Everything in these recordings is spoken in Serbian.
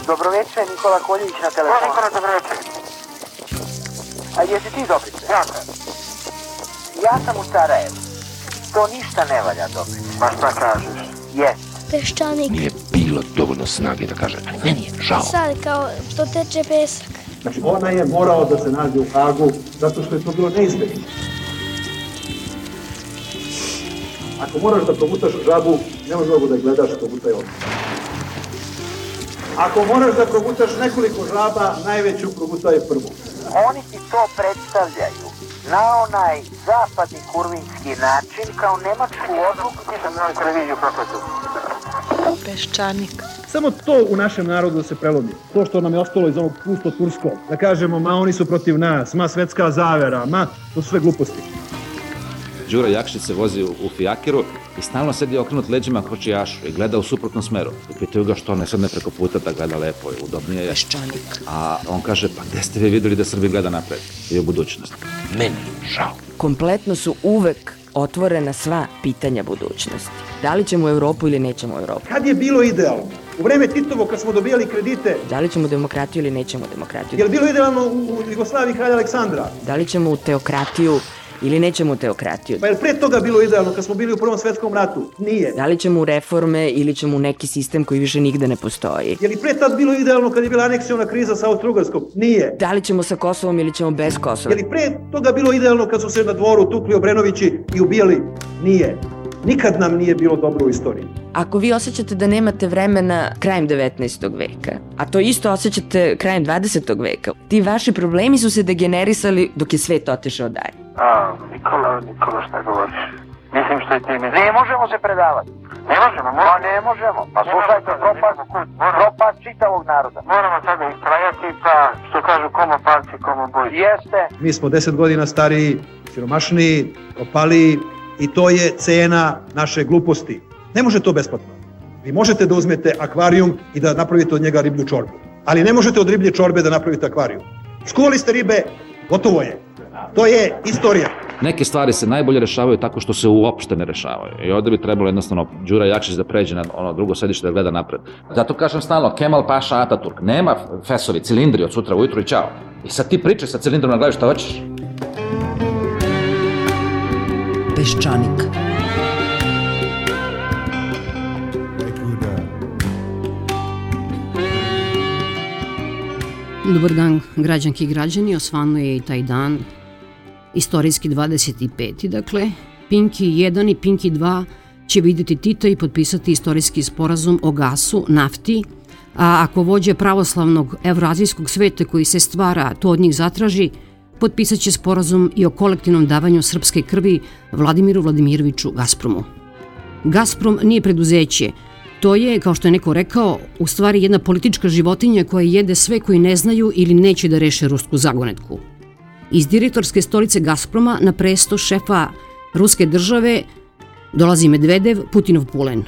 Dobroveče, Nikola Koljević na telefonu. Nikola, dobroveče. A jesi ti Dobrice? Ja sam. Ja sam u Sarajevu. To ništa ne valja, Dobrice. Pa šta kažeš? Jes. Peščanik. Nije bilo dovoljno snage da kaže, ali meni je žao. Sad kao što teče pesak. Znači ona je morao da se nađe u Hagu zato što je to bilo neizbježno. Ako moraš da progutaš žabu, nemoj mnogo da gledaš, progutaj odmah. Ako moraš da progutaš nekoliko žaba, najveću progutaj prvu. Oni ti to predstavljaju na onaj zapadni kurvinski način kao nemačku odluku. Nisam na televiziju prokletu. Peščanik. Samo to u našem narodu se prelomi. To što nam je ostalo iz onog pusto turskog. Da kažemo, ma oni su protiv nas, ma svetska zavera, ma to su sve gluposti. Đura Jakšić se vozi u fijakiru i stalno sedi okrenut leđima kočijašu i gleda u suprotnom smeru. I pitaju ga što ne sedne preko puta da gleda lepo i udobnije je. Peščanik. A on kaže, pa gde ste vi videli da Srbi gleda napred i u budućnost? Meni je žao. Kompletno su uvek otvorena sva pitanja budućnosti. Da li ćemo u Evropu ili nećemo u Evropu? Kad je bilo idealno? U vreme Titovo kad smo dobijali kredite. Da li ćemo u demokratiju ili nećemo u demokratiju? Je li bilo idealno u Jugoslaviji kralja Aleksandra? Da li ćemo u teokratiju ili nećemo u teokratiju? Pa je li pre toga bilo idealno kad smo bili u Prvom svetskom ratu? Nije. Da li ćemo u reforme ili ćemo u neki sistem koji više nigde ne postoji? Je li pre tad bilo idealno kad je bila aneksiona kriza sa Austro-Ugarskom? Nije. Da li ćemo sa Kosovom ili ćemo bez Kosova? Je li pre toga bilo idealno kad su se na dvoru tukli Obrenovići i ubijali? Nije. Nikad nam nije bilo dobro u istoriji. Ako vi osjećate da nemate vremena krajem 19. veka, a to isto osjećate krajem 20. veka, ti vaši problemi su se degenerisali dok je svet otišao dalje. Nikola, šta govoriš? Mislim što je ti mislim. Ne možemo se predavati. Ne možemo, Pa ne možemo. Pa slušajte, propast čitavog naroda. Moramo sada istrajati, pa što kažu komo palci, komo boj. Jeste. Mi smo 10 godina stariji, siromašniji, propaliji i to je cena naše gluposti. Ne može to besplatno. Vi možete da uzmete akvarijum i da napravite od njega riblju čorbu. Ali ne možete od riblje čorbe da napravite akvarijum. Skuvali ste ribe, gotovo je. To je istorija. Neke stvari se najbolje rešavaju tako što se uopšte ne rešavaju. I ovde bi trebalo jednostavno Đura Jakšić da pređe na ono drugo sedište da gleda napred. Zato kažem stalno, Kemal Paša Ataturk, nema fesovi, cilindri od sutra ujutru i čao. I sad ti pričaj sa cilindrom na glavi šta hoćeš. Peščanik. Dobar dan, građanki i građani, osvano je i taj dan, istorijski 25. Dakle, Pinki 1 i Pinki 2 će vidjeti Tita i potpisati istorijski sporazum o gasu, nafti, a ako vođe pravoslavnog evroazijskog sveta koji se stvara to od njih zatraži, potpisat će sporazum i o kolektivnom davanju srpske krvi Vladimiru Vladimiroviću Gazpromu. Gazprom nije preduzeće. To je, kao što je neko rekao, u stvari jedna politička životinja koja jede sve koji ne znaju ili neće da reše rusku zagonetku. Iz direktorske stolice Gazproma na presto šefa ruske države dolazi Medvedev, Putinov pulen.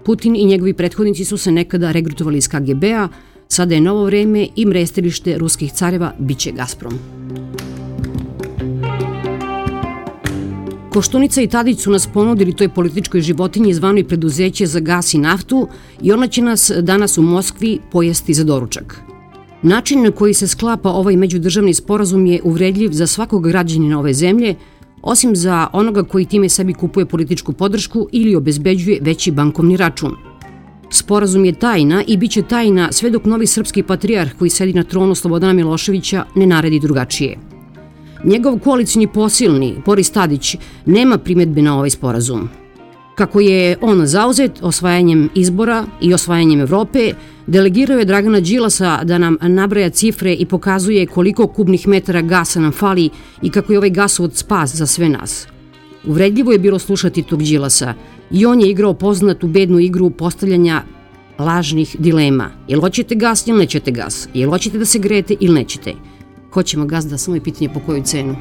Putin i njegovi prethodnici su se nekada regrutovali iz KGB-a, sada je novo vreme i mrestilište ruskih careva biće Gazprom. Koštunica i Tadić su nas ponudili toj političkoj životinji zvanoj preduzeće za gas i naftu i ona će nas danas u Moskvi pojesti za doručak. Način na koji se sklapa ovaj međudržavni sporazum je uvredljiv za svakog građanina ove zemlje, osim za onoga koji time sebi kupuje političku podršku ili obezbeđuje veći bankovni račun. Sporazum je tajna i bit će tajna sve dok novi srpski patrijarh koji sedi na tronu Slobodana Miloševića ne naredi drugačije. Njegov koalicijni posilni, Boris Tadić, nema primjedbe na ovaj sporazum. Kako je on zauzet osvajanjem izbora i osvajanjem Evrope, delegirao je Dragana Đilasa da nam nabraja cifre i pokazuje koliko kubnih metara gasa nam fali i kako je ovaj gasovod spas za sve nas. Uvredljivo je bilo slušati tog Đilasa i on je igrao poznatu bednu igru postavljanja lažnih dilema. Jel hoćete gas ili nećete gas? Jel hoćete da se grejete ili nećete? Hoćemo gas, da samo je pitanje po koju cenu.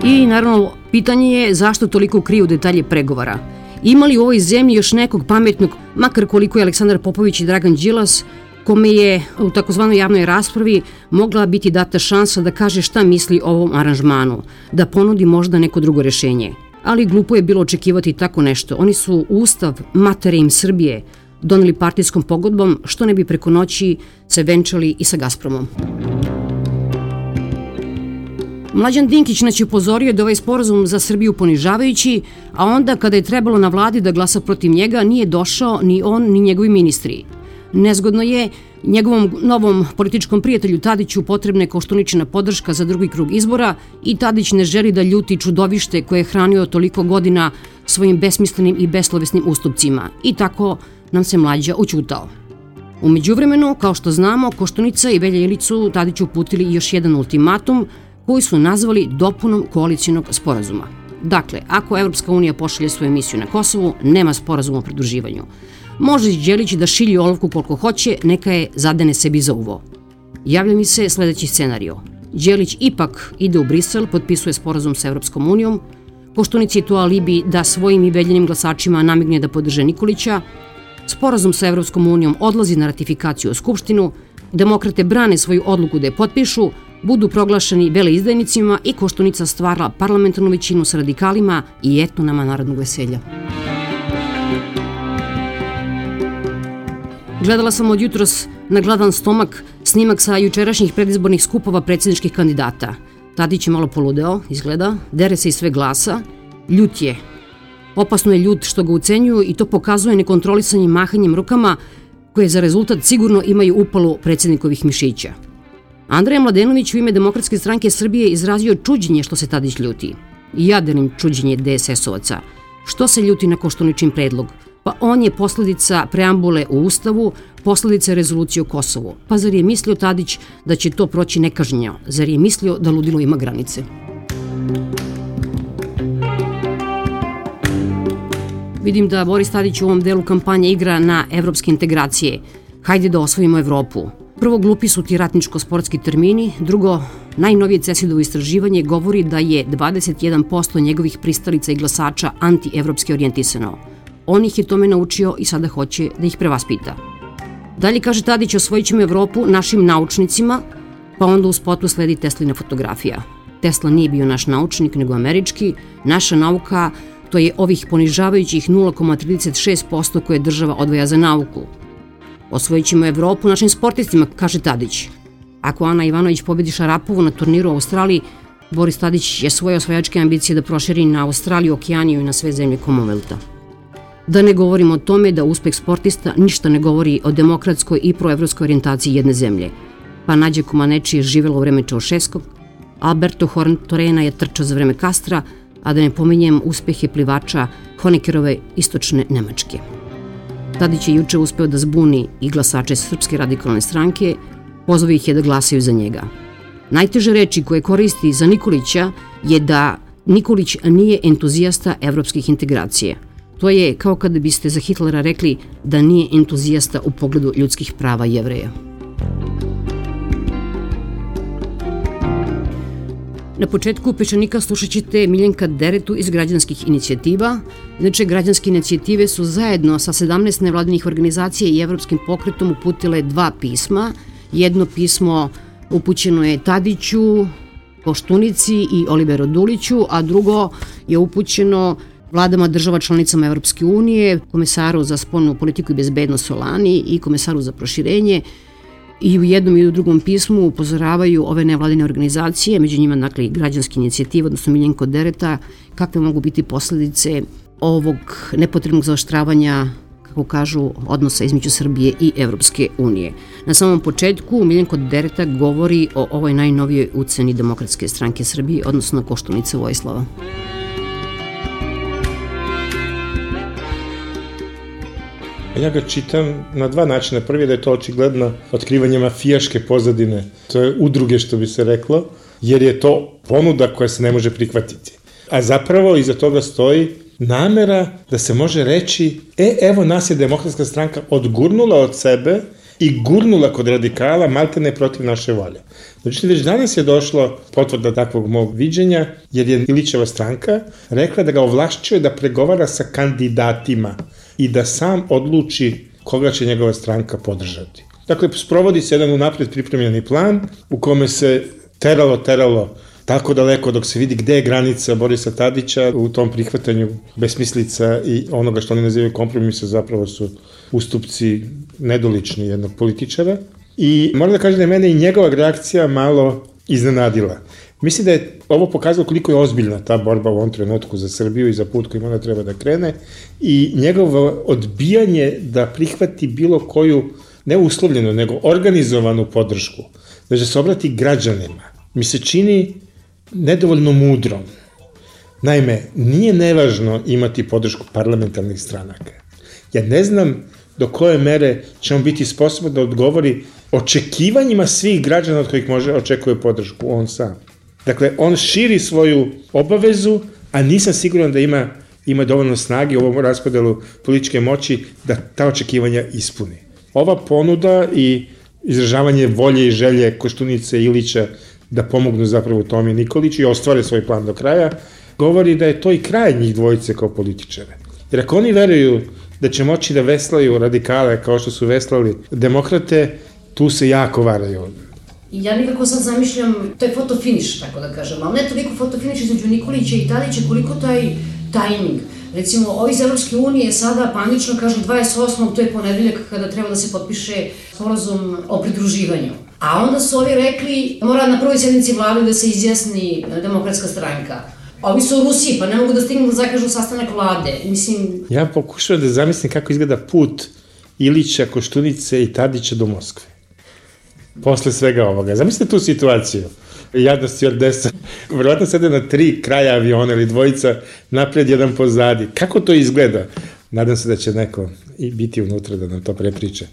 I naravno, pitanje je zašto toliko kriju detalje pregovora. Ima li u ovoj zemlji još nekog pametnog, makar koliko je Aleksandar Popović i Dragan Đilas, kome je u takozvanoj javnoj raspravi mogla biti data šansa da kaže šta misli o ovom aranžmanu, da ponudi možda neko drugo rešenje. Ali glupo je bilo očekivati tako nešto. Oni su Ustav matere im Srbije doneli partijskom pogodbom, što ne bi preko noći se venčali i sa Gazpromom. Mlađan Dinkić nas je upozorio da ovaj sporazum za Srbiju ponižavajući, a onda kada je trebalo na vladi da glasa protiv njega, nije došao ni on ni njegovi ministri. Nezgodno je njegovom novom političkom prijatelju Tadiću potrebna je Koštuničina podrška za drugi krug izbora i Tadić ne želi da ljuti čudovište koje je hranio toliko godina svojim besmislenim i beslovesnim ustupcima. I tako nam se Mlađa ućutao. U međuvremenu, kao što znamo, Koštunica i Velja Ilić su Tadiću uputili još jedan ultimatum koji su nazvali dopunom koalicijonog sporazuma. Dakle, ako Evropska unija pošalje svoju misiju na Kosovu, nema sporazuma o pridruživanju. Može Đelić da šilji olovku koliko hoće, neka je zadene sebi za uvo. Javlja mi se sledeći scenario. Đelić ipak ide u Brisel, potpisuje sporazum sa Evropskom unijom, Koštunici je to alibi da svojim i Veljinim glasačima namigne da podrže Nikolića, sporazum sa Evropskom unijom odlazi na ratifikaciju u Skupštinu, demokrate brane svoju odluku da je potpišu, budu proglašeni veleizdajnicima i Koštunica stvara parlamentarnu većinu sa radikalima i eto nama narodnog veselja. Gledala sam od jutros na gladan stomak snimak sa jučerašnjih predizbornih skupova predsjedničkih kandidata. Tadić je malo poludeo, izgleda, dere se iz sve glasa, ljut je. Opasno je ljut što ga ucenjuju i to pokazuje nekontrolisanim mahanjem rukama koje za rezultat sigurno imaju upalu predsjednikovih mišića. Andreja Mladenović u ime Demokratske stranke Srbije izrazio čuđenje što se Tadić ljuti. I ja delim čuđenje DSS-ovaca. Što se ljuti na Koštuničin predlog? Pa on je posledica preambule u Ustavu, posledica rezolucije o Kosovu. Pa zar je mislio Tadić da će to proći nekažnjeno? Zar je mislio da ludilo ima granice? Vidim da Boris Tadić u ovom delu kampanje igra na evropske integracije. Hajde da osvojimo Evropu. Prvo, glupi su ti ratničko-sportski termini. Drugo, najnovije CESID-ovo istraživanje govori da je 21% njegovih pristalica i glasača anti-evropski orijentisano. On ih je tome naučio i sada hoće da ih prevaspita. Dalje kaže Tadić, osvojit ćemo Evropu našim naučnicima, pa onda u spotu sledi Teslina fotografija. Tesla nije bio naš naučnik, nego američki. Naša nauka, to je ovih ponižavajućih 0,36% koje država odvaja za nauku. Osvojit ćemo Evropu našim sportistima, kaže Tadić. Ako Ana Ivanović pobedi Šarapovu na turniru u Australiji, Boris Tadić je svoje osvajačke ambicije da proširi na Australiju, Okeaniju i na sve zemlje Commonwealtha. Da ne govorimo o tome da uspeh sportista ništa ne govori o demokratskoj i proevropskoj orijentaciji jedne zemlje. Pa Nađa Comaneci je živela u vreme Čaušeskog, Alberto Horn-Torena je trčao za vreme Kastra, a da ne pominjem uspehe plivača Honeckerove istočne Nemačke. Tadić je juče uspeo da zbuni i glasače Srpske radikalne stranke, pozvao ih je da glasaju za njega. Najteže reči koje koristi za Nikolića je da Nikolić nije entuzijasta evropskih integracija. To je kao kada biste za Hitlera rekli da nije entuzijasta u pogledu ljudskih prava Jevreja. Na početku Peščanika slušat ćete Miljenka Deretu iz građanskih inicijativa. Inače, građanske inicijative su zajedno sa 17 nevladinih organizacija i Evropskim pokretom uputile 2 pisma. Jedno pismo upućeno je Tadiću, Koštunici i Oliveru Duliću, a drugo je upućeno vladama država članicama Evropske unije, komesaru za spoljnu politiku i bezbednost Solani i komesaru za proširenje. I u jednom i u drugom pismu upozoravaju ove nevladine organizacije, među njima dakle i građanske inicijative, odnosno Miljenko Dereta, kakve mogu biti posledice ovog nepotrebnog zaoštravanja, kako kažu, odnosa između Srbije i Evropske unije. Na samom početku Miljenko Dereta govori o ovoj najnovijoj uceni Demokratske stranke Srbije, odnosno Koštunica Vojislava. Ja ga čitam na 2 načina. Prvi je da je to očigledno otkrivanje mafijaške pozadine. To je udruge, što bi se reklo, jer je to ponuda koja se ne može prihvatiti. A zapravo iza toga stoji namera da se može reći evo nas je Demokratska stranka odgurnula od sebe i gurnula kod radikala maltene protiv naše volje. Znači, već danas je došlo potvrda takvog mog viđenja, jer je Ilićeva stranka rekla da ga ovlašćuje da pregovara sa kandidatima i da sam odluči koga će njegova stranka podržati. Dakle, sprovodi se jedan unapred pripremljeni plan u kome se teralo tako daleko dok se vidi gde je granica Borisa Tadića u tom prihvatanju besmislica i onoga što oni nazivaju kompromisa zapravo su ustupci nedolični jednog političara. I moram da kažem da je mene i njegova reakcija malo iznenadila. Mislim da je ovo pokazalo koliko je ozbiljna ta borba u ovom trenutku za Srbiju i za put kojim ona treba da krene i njegovo odbijanje da prihvati bilo koju, ne uslovljenu, nego organizovanu podršku, da se obrati građanima, mi se čini nedovoljno mudrom. Naime, nije nevažno imati podršku parlamentarnih stranaka. Ja ne znam do koje mere će on biti sposoban da odgovori očekivanjima svih građana od kojih očekuje podršku on sam. Dakle, on širi svoju obavezu, a nisam siguran da ima dovoljno snage u ovom raspodelu političke moći da ta očekivanja ispuni. Ova ponuda i izražavanje volje i želje Koštunice i Ilića da pomognu zapravo Tomi Nikoliću i ostvare svoj plan do kraja, govori da je to i kraj njih dvojice kao političare. Jer ako oni veruju da će moći da veslaju radikale kao što su veslali demokrate, tu se jako varaju. Ja nekako sad zamišljam, to je fotofiniš, tako da kažem, ali ne toliko fotofiniš između Nikolića i Tadića, koliko taj tajming. Recimo, ovi iz Evropske unije sada panično kažu 28. to je ponedeljak kada treba da se potpiše sporazum o pridruživanju. A onda su ovi rekli, mora na prvoj sjednici vlade da se izjasni Demokratska stranka. Ovi su u Rusiji, pa ne mogu da stignu da zakažu sastanak vlade. Mislim... Ja pokušavam da zamislim kako izgleda put Ilića, Koštunice i Tadića do Moskve. Posle svega ovoga. Zamislite tu situaciju. Jadna stjuardesa. Verovatno sede na 3 kraja aviona ili dvojica napred, jedan pozadi. Kako to izgleda? Nadam se da će neko i biti unutra da nam to prepriča.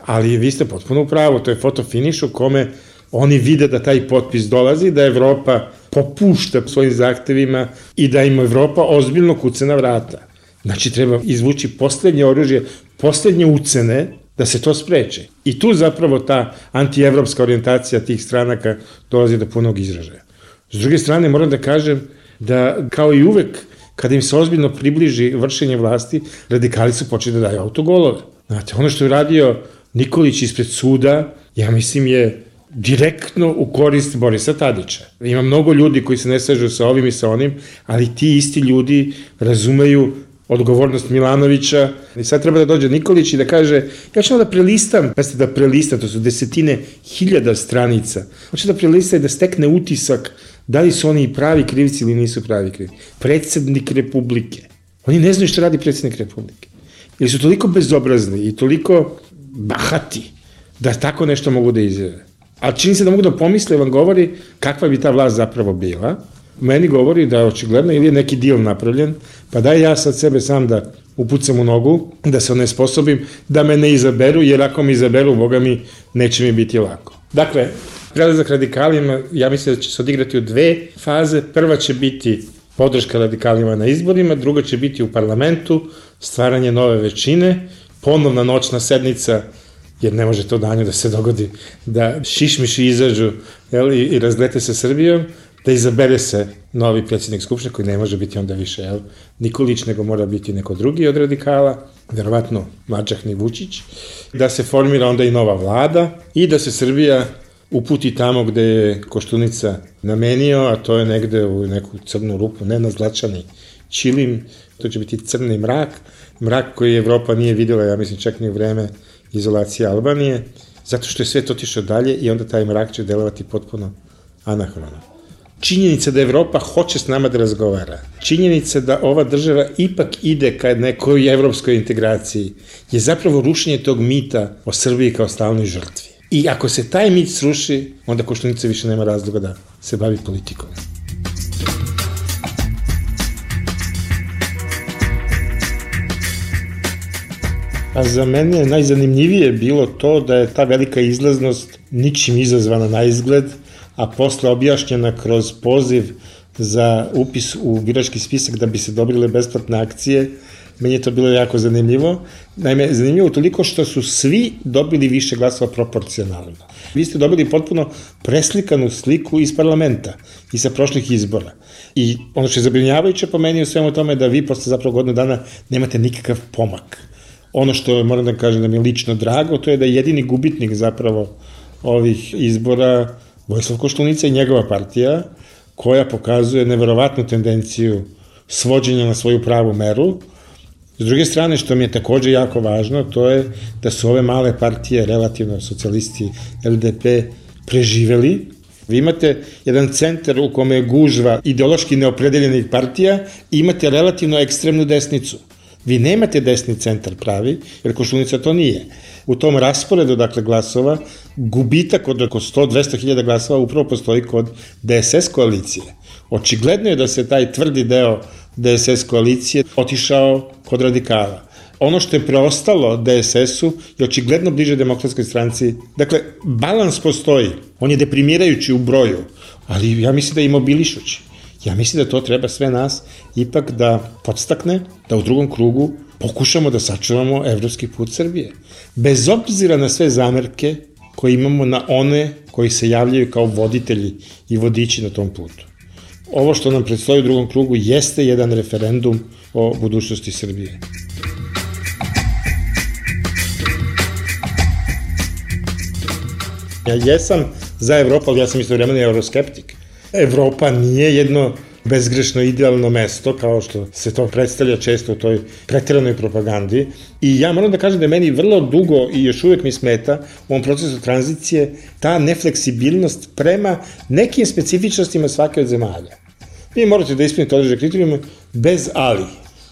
Ali vi ste potpuno u pravu. To je fotofiniš u kome oni vide da taj potpis dolazi, da Evropa popušta svojim zahtevima i da im Evropa ozbiljno kuca na vrata. Znači, treba izvući poslednje oružje, poslednje ucene da se to spreči. I tu zapravo ta antievropska orijentacija tih stranaka dolazi do punog izražaja. S druge strane, moram da kažem da, kao i uvek, kada im se ozbiljno približi vršenje vlasti, radikali su počeli da daju autogolove. Znate, ono što je radio Nikolić ispred suda, ja mislim je direktno u korist Borisa Tadića. Ima mnogo ljudi koji se ne slažu sa ovim i sa onim, ali ti isti ljudi razumeju odgovornost Milanovića i sad treba da dođe Nikolić i da kaže ja ću da prelistam, da prelistam, to su desetine hiljada stranica, hoće da prelista i da stekne utisak da li su oni pravi krivci ili nisu pravi krivci. Predsednik Republike. Oni ne znaju šta radi predsednik Republike. Ili su toliko bezobrazni i toliko bahati da tako nešto mogu da izjave. A čini se da mogu da pomisle, vam govori kakva bi ta vlast zapravo bila. Meni govori da je očigledno ili je neki deal napravljen, pa daj ja sad sebe sam da upucam u nogu, da se onesposobim, da me ne izaberu, jer ako me izaberu, Boga mi, neće mi biti lako. Dakle, prelazak radikalima, ja mislim da će se odigrati u 2 faze. Prva će biti podrška radikalima na izborima, druga će biti u parlamentu, stvaranje nove većine, ponovna noćna sednica, jer ne može to danju da se dogodi, da šišmiši izađu i razlete se Srbijom, da izabere se novi predsjednik Skupštine, koji ne može biti onda više Nikolić, nego mora biti neko drugi od radikala, verovatno Mačahni Vučić, da se formira onda i nova vlada i da se Srbija uputi tamo gde je Koštunica namenio, a to je negde u neku crnu rupu, ne na zlačani ćilim, to će biti crni mrak, mrak koji Evropa nije videla, ja mislim, čak ni u vreme izolacije Albanije, zato što je svet otišao dalje i onda taj mrak će delovati potpuno anahrono. Činjenica da Evropa hoće s nama da razgovara, činjenica da ova država ipak ide ka nekoj evropskoj integraciji, je zapravo rušenje tog mita o Srbiji kao stalnoj žrtvi. I ako se taj mit sruši, onda Koštunica više nema razloga da se bavi politikom. A za mene je najzanimljivije bilo to da je ta velika izlaznost ničim izazvana na izgled, a posle objašnjena kroz poziv za upis u birački spisak da bi se dobrile besplatne akcije. Meni je to bilo jako zanimljivo. Naime, zanimljivo toliko što su svi dobili više glasova proporcionalno. Vi ste dobili potpuno preslikanu sliku iz parlamenta i sa prošlih izbora. I ono što je zabrinjavajuće po meni u svemu tome da vi posle zapravo godinu dana nemate nikakav pomak. Ono što moram da kažem da mi je lično drago, to je da je jedini gubitnik zapravo ovih izbora Vojislav Koštunica i njegova partija, koja pokazuje neverovatnu tendenciju svođenja na svoju pravu meru. S druge strane, što mi je takođe jako važno, to je da su ove male partije, relativno socijalisti, LDP, preživeli. Vi imate jedan centar u kome je gužva ideološki neopredeljenih partija i imate relativno ekstremnu desnicu. Vi nemate desni centar pravi, jer Koštunica to nije. U tom rasporedu, dakle, glasova, gubitak od oko 100-200 hiljada glasova upravo postoji kod DSS koalicije. Očigledno je da se taj tvrdi deo DSS koalicije otišao kod radikala. Ono što je preostalo DSS-u je očigledno bliže Demokratskoj stranci. Dakle, balans postoji. On je deprimirajući u broju, ali ja mislim da je imobilišući. Ja mislim da to treba sve nas ipak da podstakne, da u drugom krugu pokušamo da sačuvamo evropski put Srbije. Bez obzira na sve zamerke koje imamo na one koji se javljaju kao voditelji i vodiči na tom putu. Ovo što nam predstoji u drugom krugu jeste jedan referendum o budućnosti Srbije. Ja jesam za Evropu, ali ja sam istovremeno euroskeptik. Evropa nije jedno bezgrešno idealno mesto, kao što se to predstavlja često u toj pretiranoj propagandi. I ja moram da kažem da je meni vrlo dugo i još uvek mi smeta u ovom procesu tranzicije ta nefleksibilnost prema nekim specifičnostima svake od zemalja. Vi morate da ispunite određene kriterijume bez ali.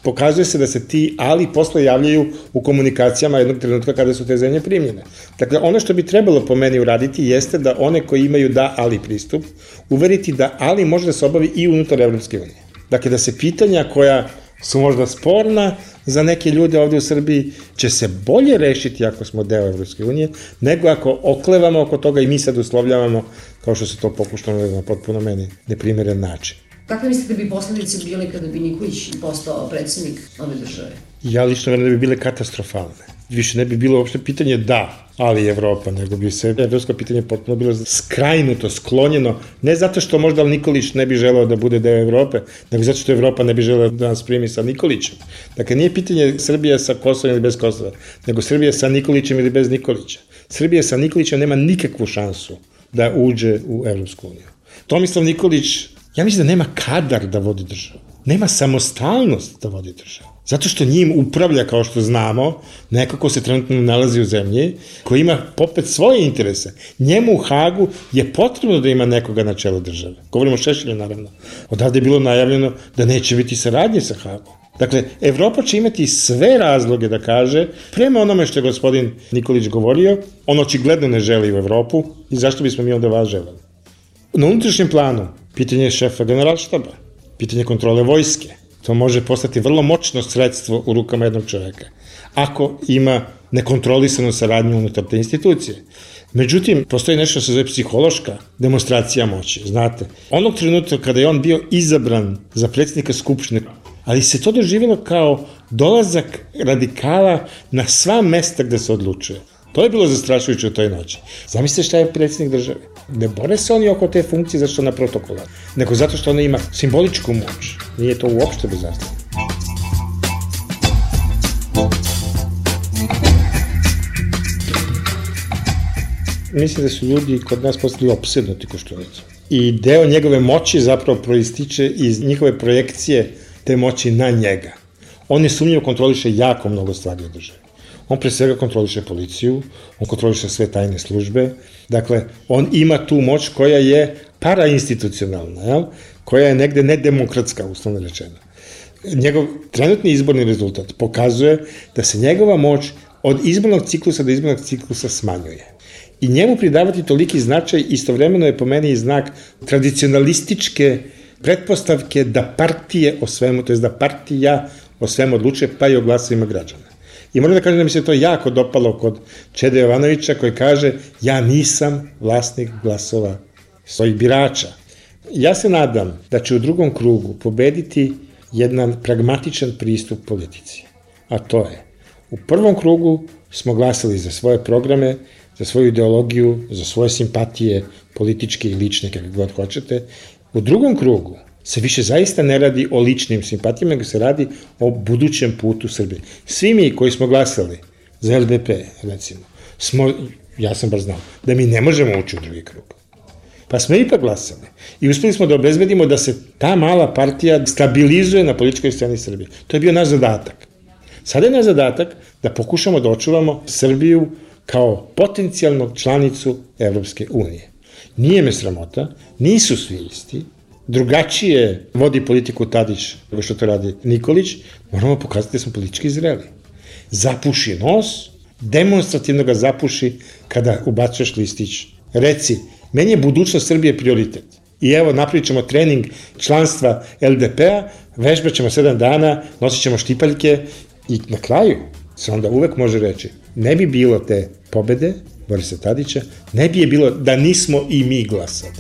Pokazuje se da se ti ali posle javljaju u komunikacijama jednog trenutka kada su te zemlje primljene. Dakle, ono što bi trebalo po meni uraditi jeste da one koji imaju da ali pristup, uveriti da ali može da se obavi i unutar Evropske unije. Dakle, da se pitanja koja su možda sporna za neke ljude ovde u Srbiji će se bolje rešiti ako smo deo Evropske unije, nego ako oklevamo oko toga i mi sad uslovljavamo kao što se to pokušalo na potpuno meni neprimeren način. Kakve mislite da bi posledice bile kada bi Nikolić postao predsjednik ove države? Ja lično verujem da bi bile katastrofalne. Više ne bi bilo uopšte pitanje da, ali Evropa, nego bi se evropsko pitanje potpuno bilo skrajnuto, sklonjeno, ne zato što možda Nikolić ne bi želeo da bude deo Evrope, nego zato što Evropa ne bi želeo da nas primi sa Nikolićem. Dakle, nije pitanje Srbija sa Kosovom ili bez Kosova, nego Srbija sa Nikolićem ili bez Nikolića. Srbija sa Nikolićem nema nikakvu šansu da uđe u Evropsku uniju. Tomislav Nikolić, ja mislim da nema kadar da vodi državu. Nema samostalnost da vodi državu. Zato što njim upravlja, kao što znamo, neko ko se trenutno nalazi u zemlji, koji ima popet svoje interese. Njemu u Hagu je potrebno da ima nekoga na čelu države. Govorimo o Šešelju, naravno. Odavde je bilo najavljeno da neće biti saradnje sa Hagom. Dakle, Evropa će imati sve razloge da kaže, prema onome što je gospodin Nikolić govorio, on očigledno ne želi u Evropu i zašto bismo mi onda vas želeli. Na unutrašnjem planu, pitanje šefa generalštaba, pitanje kontrole vojske, to može postati vrlo moćno sredstvo u rukama jednog čoveka, ako ima nekontrolisanu saradnju unutar te institucije. Međutim, postoji nešto što se zove psihološka demonstracija moći, znate. Onog trenutka kada je on bio izabran za predsjednika Skupštine, ali se to doživjelo kao dolazak radikala na sva mesta gde se odlučuje. To je bilo zastrašujuće u toj noći. Zamislite šta je predsjednik države. Ne bore se oni oko te funkcije zato što ona protokola, nego zato što ona ima simboličku moć. Nije to uopšte bezazleno. Mislim da su ljudi kod nas postali opsednuti Koštunicom. I deo njegove moći zapravo proističe iz njihove projekcije te moći na njega. On nesumnjivo kontroliše jako mnogo stvari u državi. On pre svega kontroliše policiju, on kontroliše sve tajne službe, dakle, on ima tu moć koja je parainstitucionalna, koja je negde nedemokratska, uslovno rečeno. Njegov trenutni izborni rezultat pokazuje da se njegova moć od izbornog ciklusa do izbornog ciklusa smanjuje. I njemu pridavati toliki značaj istovremeno je po meni znak tradicionalističke pretpostavke da partije o svemu, to je da partija o svemu odlučuje, pa i o glasovima građana. I moram da kažem da mi se to jako dopalo kod Čede Jovanovića koji kaže ja nisam vlasnik glasova svojih birača. Ja se nadam da će u drugom krugu pobediti jedan pragmatičan pristup politici. A to je, u prvom krugu smo glasali za svoje programe, za svoju ideologiju, za svoje simpatije, političke i lične, kako god hoćete. U drugom krugu se više zaista ne radi o ličnim simpatijama, nego se radi o budućem putu Srbije. Svi mi koji smo glasali za LDP, recimo, ja sam bar znao, da mi ne možemo ući u drugi krug. Pa smo ipak glasali. I uspeli smo da obezbedimo da se ta mala partija stabilizuje na političkoj sceni Srbije. To je bio naš zadatak. Sada je naš zadatak da pokušamo da očuvamo Srbiju kao potencijalnu članicu Evropske unije. Nije me sramota, nisu svi isti, drugačije vodi politiku Tadić nego što to radi Nikolić, moramo pokazati da smo politički zreli. Zapuši nos, demonstrativno ga zapuši kada ubacuješ listić. Reci, meni je budućnost Srbije prioritet. I evo, napravit ćemo trening članstva LDP-a, vežbat ćemo 7 dana, nosit ćemo štipaljke i na kraju se onda uvek može reći, ne bi bilo te pobede Borisa Tadića, ne bi je bilo da nismo i mi glasali.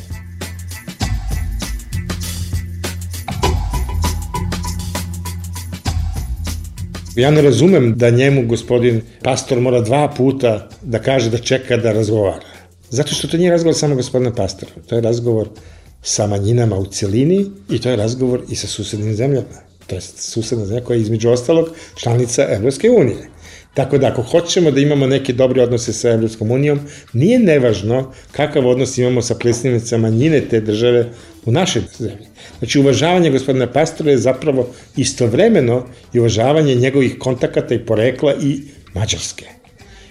Ja ne razumem da njemu gospodin Pastor mora 2 puta da kaže da čeka da razgovara. Zato što to nije razgovor samo gospodina Pastora. To je razgovor sa manjinama u celini i to je razgovor i sa susednim zemljama. To je susedna zemlja koja je između ostalog članica Evropske unije. Tako da ako hoćemo da imamo neke dobre odnose sa Evropskom unijom, nije nevažno kakav odnos imamo sa predstavnicama manjine te države u našoj zemlji. Znači, uvažavanje gospodina Pastora je zapravo istovremeno i uvažavanje njegovih kontakata i porekla i Mađarske.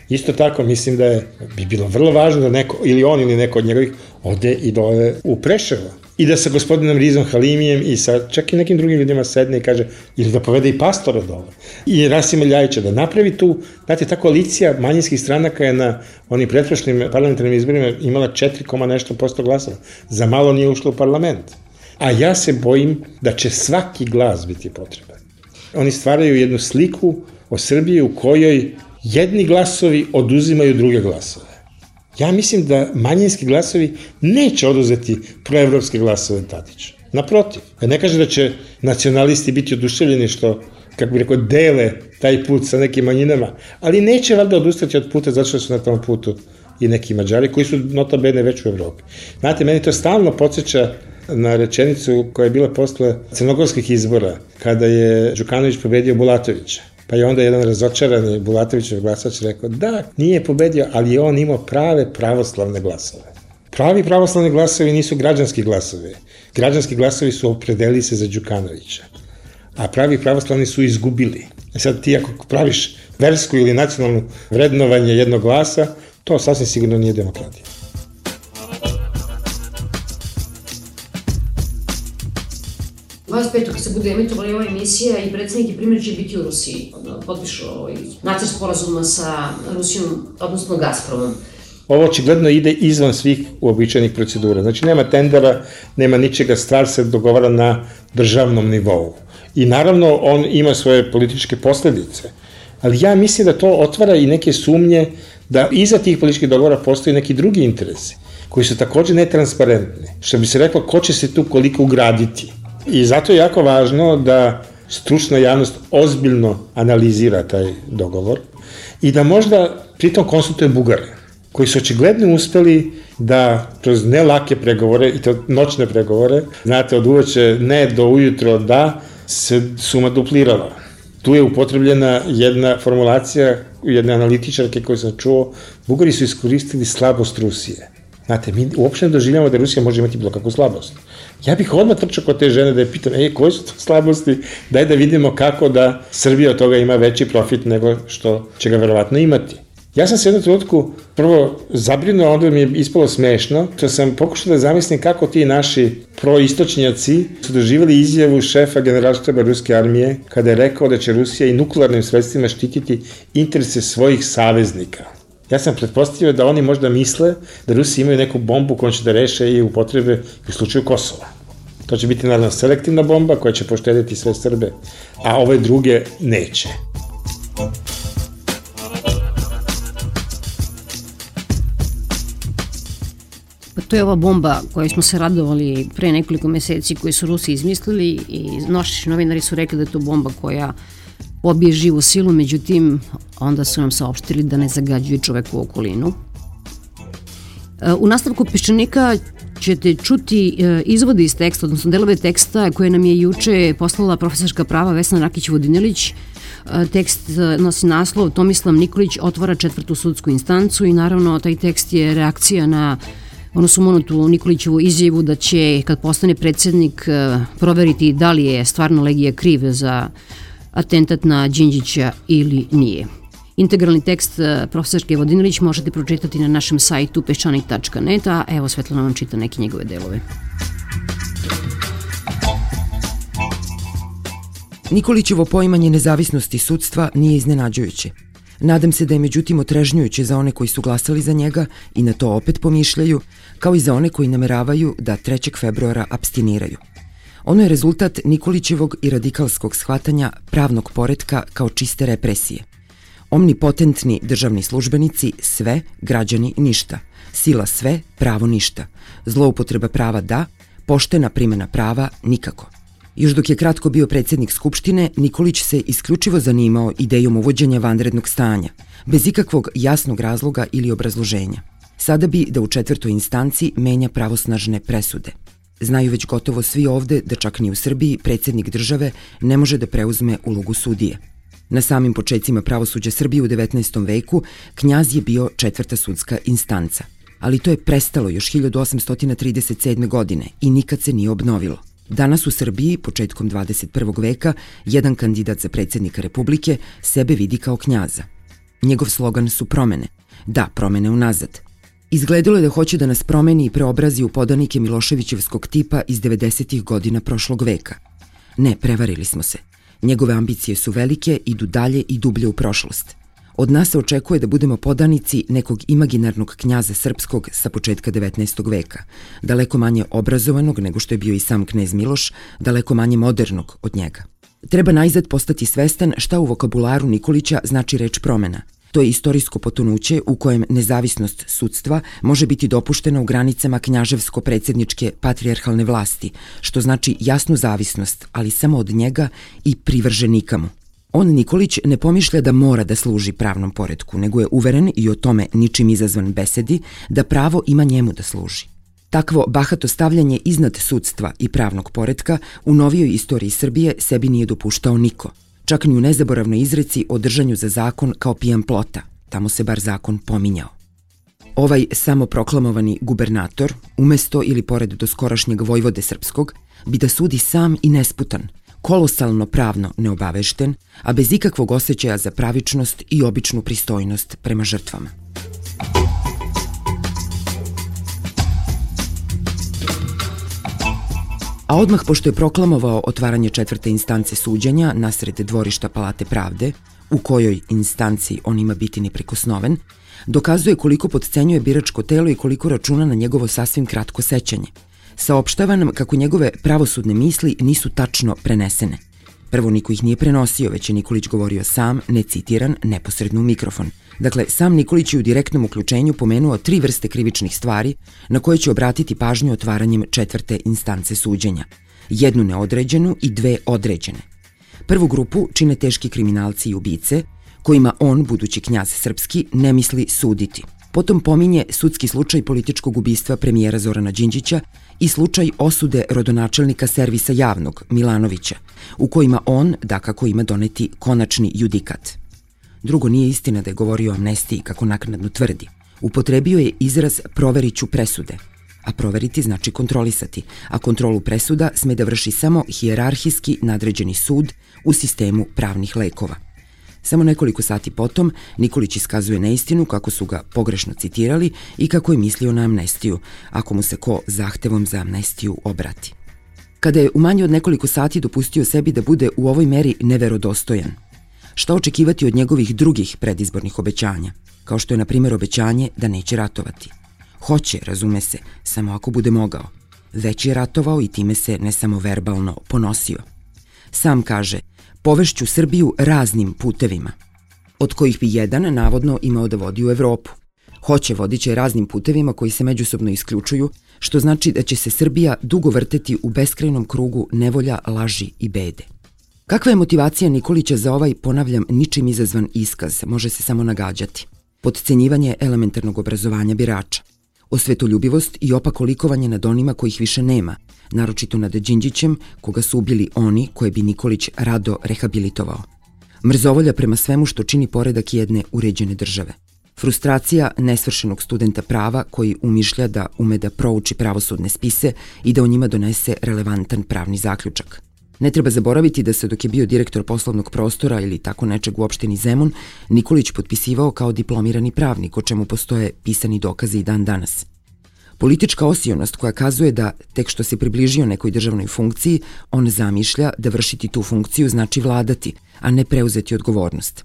Isto tako, mislim da bi bilo vrlo važno da neko, ili on ili neko od njegovih, ode i dole u Preševo. I da sa gospodinom Rizom Halimijem i sa čak i nekim drugim ljudima sedne i kaže, ili da povede i Pastora dole. I Rasima Ljajića da napravi tu, znate, ta koalicija manjinskih stranaka je na onim pretprošlim parlamentarnim izborima imala 4, nešto posto glasova. Za malo nije ušlo u parlament. A ja se bojim da će svaki glas biti potreban. Oni stvaraju jednu sliku o Srbiji u kojoj jedni glasovi oduzimaju druge glasove. Ja mislim da manjinski glasovi neće oduzeti proevropske glasove Tadića. Naprotiv, ne kaže da će nacionalisti biti oduševljeni što, kako bih rekao, dele taj put sa nekim manjinama, ali neće valjda odustati od puta zato što su na tom putu i neki Mađari koji su nota bene već u Evropi. Znate, meni to stalno podsjeća na rečenicu koja je bila posle crnogorskih izbora, kada je Đukanović pobedio Bulatovića. Pa je onda jedan razočarani Bulatovićev glasač rekao, da, nije pobedio, ali je on imao prave pravoslavne glasove. Pravi pravoslavni glasovi nisu građanski glasovi. Građanski glasovi su opredelili se za Đukanovića. A pravi pravoslavni su izgubili. Sad ti ako praviš versku ili nacionalnu vrednovanje jednog glasa, to sasvim sigurno nije demokratija. 25. kad se bude emitovala ova emisija i predsednik i primjer će biti u Rusiji. Potpišu nacrt sporazuma sa Rusijom, odnosno Gazpromom. Ovo očigledno ide izvan svih uobičajenih procedura. Znači, nema tendera, nema ničega, stvar se dogovara na državnom nivou. I naravno, on ima svoje političke posledice. Ali ja mislim da to otvara i neke sumnje da iza tih političkih dogovora postoji neki drugi interesi, koji su takođe netransparentni. Što bi se reklo, ko će se tu koliko ugraditi. I zato je jako važno da stručna javnost ozbiljno analizira taj dogovor i da možda pritom konsultuje Bugare, koji su očigledno uspeli da kroz nelake pregovore, i to noćne pregovore, znate, od uveče ne do ujutro da, se suma duplirala. Tu je upotrebljena jedna formulacija jedne analitičarke koju sam čuo, Bugari su iskoristili slabost Rusije. Znate, mi uopšte ne doživljamo da Rusija može imati bilo kakvu slabost. Ja bih odmah trčao kod te žene da je pitam, koje su to slabosti, daj da vidimo kako da Srbija od toga ima veći profit nego što će ga verovatno imati. Ja sam se jednom trenutku prvo zabrinuo, onda mi je ispalo smešno, što sam pokušao da zamislim kako ti naši proistočnjaci su doživali izjavu šefa generalštaba ruske armije kada je rekao da će Rusija i nuklearnim sredstvima štititi interese svojih saveznika. Ja sam pretpostavio da oni možda misle da Rusi imaju neku bombu kojom će da reše i upotrebe u slučaju Kosova. To će biti naravno selektivna bomba koja će poštediti sve Srbe, a ove druge neće. To je ova bomba koju smo se radovali pre nekoliko meseci, koju su Rusi izmislili i naši novinari su rekli da je to bomba koja pobije živu silu, međutim, onda su nam saopštili da ne zagađuje čoveku okolinu. U nastavku Peščanika ćete čuti izvode iz teksta, odnosno delove teksta koje nam je juče poslala profesorska prava Vesna Rakić-Vodinelić. Tekst nosi naslov Tomislav Nikolić otvara 4. sudsku instancu i naravno taj tekst je reakcija na onu sumanutu Nikolićevu izjavu da će, kad postane predsjednik, proveriti da li je stvarno Legija kriv za atentat na Đinđića ili nije. Integralni tekst profesorke Vodinilić možete pročitati na našem sajtu peščanik.net, a evo Svetlana vam čita neke njegove delove. Nikolićevo poimanje nezavisnosti sudstva nije iznenađujuće. Nadam se da je međutim otrežnjujuće za one koji su glasali za njega i na to opet pomišljaju, kao i za one koji nameravaju da 3. februara apstiniraju. Ono je rezultat Nikolićevog i radikalskog shvatanja pravnog poretka kao čiste represije. Omnipotentni državni službenici sve, građani ništa. Sila sve, pravo ništa. Zloupotreba prava da, poštena primjena prava nikako. Još dok je kratko bio predsjednik Skupštine, Nikolić se isključivo zanimao idejom uvođenja vanrednog stanja, bez ikakvog jasnog razloga ili obrazloženja. Sada bi da u 4. instanci menja pravosnažne presude. Znaju već gotovo svi ovde da čak ni u Srbiji predsjednik države ne može da preuzme ulogu sudije. Na samim počecima pravosuđa Srbije u 19. veku knjaz je bio 4. sudska instanca. Ali to je prestalo još 1837. godine i nikad se nije obnovilo. Danas u Srbiji, početkom 21. veka, jedan kandidat za predsjednika Republike sebe vidi kao knjaza. Njegov slogan su promene. Da, promene unazad. Izgledalo je da hoće da nas promeni i preobrazi u podanike Miloševićevskog tipa iz 90. godina prošlog veka. Ne, prevarili smo se. Njegove ambicije su velike, idu dalje i dublje u prošlost. Od nas se očekuje da budemo podanici nekog imaginarnog knjaza srpskog sa početka 19. veka, daleko manje obrazovanog nego što je bio i sam knez Miloš, daleko manje modernog od njega. Treba najzad postati svestan šta u vokabularu Nikolića znači reč promena. To je istorijsko potonuće u kojem nezavisnost sudstva može biti dopuštena u granicama knjaževsko-predsjedničke patrijarhalne vlasti, što znači jasnu zavisnost, ali samo od njega i privrženika mu. On, Nikolić, ne pomišlja da mora da služi pravnom poretku, nego je uveren i o tome ničim izazvan besedi da pravo ima njemu da služi. Takvo bahato stavljanje iznad sudstva i pravnog poretka u novijoj istoriji Srbije sebi nije dopuštao niko. Čak ni u nezaboravnoj izreci o držanju za zakon kao pijan plota, tamo se bar zakon pominjao. Ovaj samoproklamovani gubernator, umesto ili pored doskorašnjeg vojvode srpskog, bi da sudi sam i nesputan, kolosalno pravno neobavešten, a bez ikakvog osjećaja za pravičnost i običnu pristojnost prema žrtvama. A odmah pošto je proklamovao otvaranje 4. instance suđenja nasred dvorišta Palate pravde, u kojoj instanciji on ima biti neprikosnoven, dokazuje koliko potcenjuje biračko telo i koliko računa na njegovo sasvim kratko sećanje. Saopštava nam kako njegove pravosudne misli nisu tačno prenesene. Prvo, niko ih nije prenosio, već je Nikolić govorio sam, necitiran, neposredno u mikrofon. Dakle, sam Nikolić je u direktnom uključenju pomenuo 3 vrste krivičnih stvari na koje će obratiti pažnju otvaranjem 4. instance suđenja. Jednu neodređenu i 2 određene. Prvu grupu čine teški kriminalci i ubice, kojima on, budući knjaz srpski, ne misli suditi. Potom pominje sudski slučaj političkog ubistva premijera Zorana Đinđića i slučaj osude rodonačelnika servisa javnog, Milanovića, u kojima on, dakako, ima doneti konačni judikat. Drugo, nije istina da je govorio o amnestiji, kako naknadno tvrdi. Upotrebio je izraz proveriću presude, a proveriti znači kontrolisati, a kontrolu presuda sme da vrši samo hijerarhijski nadređeni sud u sistemu pravnih lekova. Samo nekoliko sati potom Nikolić iskazuje neistinu kako su ga pogrešno citirali i kako je mislio na amnestiju, ako mu se ko zahtevom za amnestiju obrati. Kada je u manje od nekoliko sati dopustio sebi da bude u ovoj meri neverodostojan, šta očekivati od njegovih drugih predizbornih obećanja, kao što je na primjer obećanje da neće ratovati. Hoće, razume se, samo ako bude mogao. Već je ratovao i time se ne samo verbalno ponosio. Sam kaže, povešću Srbiju raznim putevima, od kojih bi jedan navodno imao da vodi u Evropu. Hoće, vodit će raznim putevima koji se međusobno isključuju, što znači da će se Srbija dugo vrteti u beskrajnom krugu nevolja, laži i bede. Kakva je motivacija Nikolića za ovaj, ponavljam, ničim izazvan iskaz, može se samo nagađati. Potcenjivanje elementarnog obrazovanja birača, osvetoljubivost i opako likovanje nad onima kojih više nema, naročito nad Đinđićem, koga su ubili oni koje bi Nikolić rado rehabilitovao. Mrzovolja prema svemu što čini poredak jedne uređene države. Frustracija nesvršenog studenta prava koji umišlja da ume da prouči pravosudne spise i da o njima donese relevantan pravni zaključak. Ne treba zaboraviti da se dok je bio direktor poslovnog prostora ili tako nečeg u opštini Zemun, Nikolić potpisivao kao diplomirani pravnik, o čemu postoje pisani dokazi i dan danas. Politička osionost koja kazuje da tek što se približio nekoj državnoj funkciji, on zamišlja da vršiti tu funkciju znači vladati, a ne preuzeti odgovornost.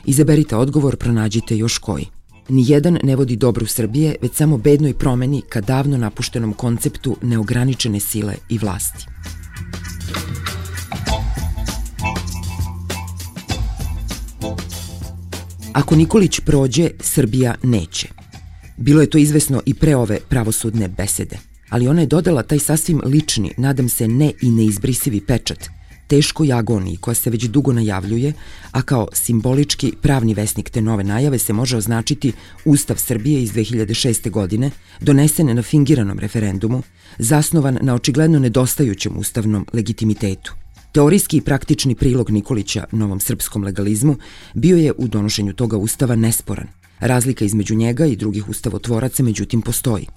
Izaberite odgovor, pronađite još koji. Nijedan ne vodi dobro Srbije, već samo bednoj promeni ka davno napuštenom konceptu neograničene sile i vlasti. Ako Nikolić prođe, Srbija neće. Bilo je to izvesno i pre ove pravosudne besede, ali ona je dodala taj sasvim lični, nadam se ne i neizbrisivi pečat, teškoj agoniji koja se već dugo najavljuje, a kao simbolički pravni vesnik te nove najave se može označiti Ustav Srbije iz 2006. godine, donesen na fingiranom referendumu, zasnovan na očigledno nedostajućem ustavnom legitimitetu. Teorijski i praktični prilog Nikolića novom srpskom legalizmu bio je u donošenju toga ustava nesporan. Razlika između njega i drugih ustavotvoraca međutim postoji.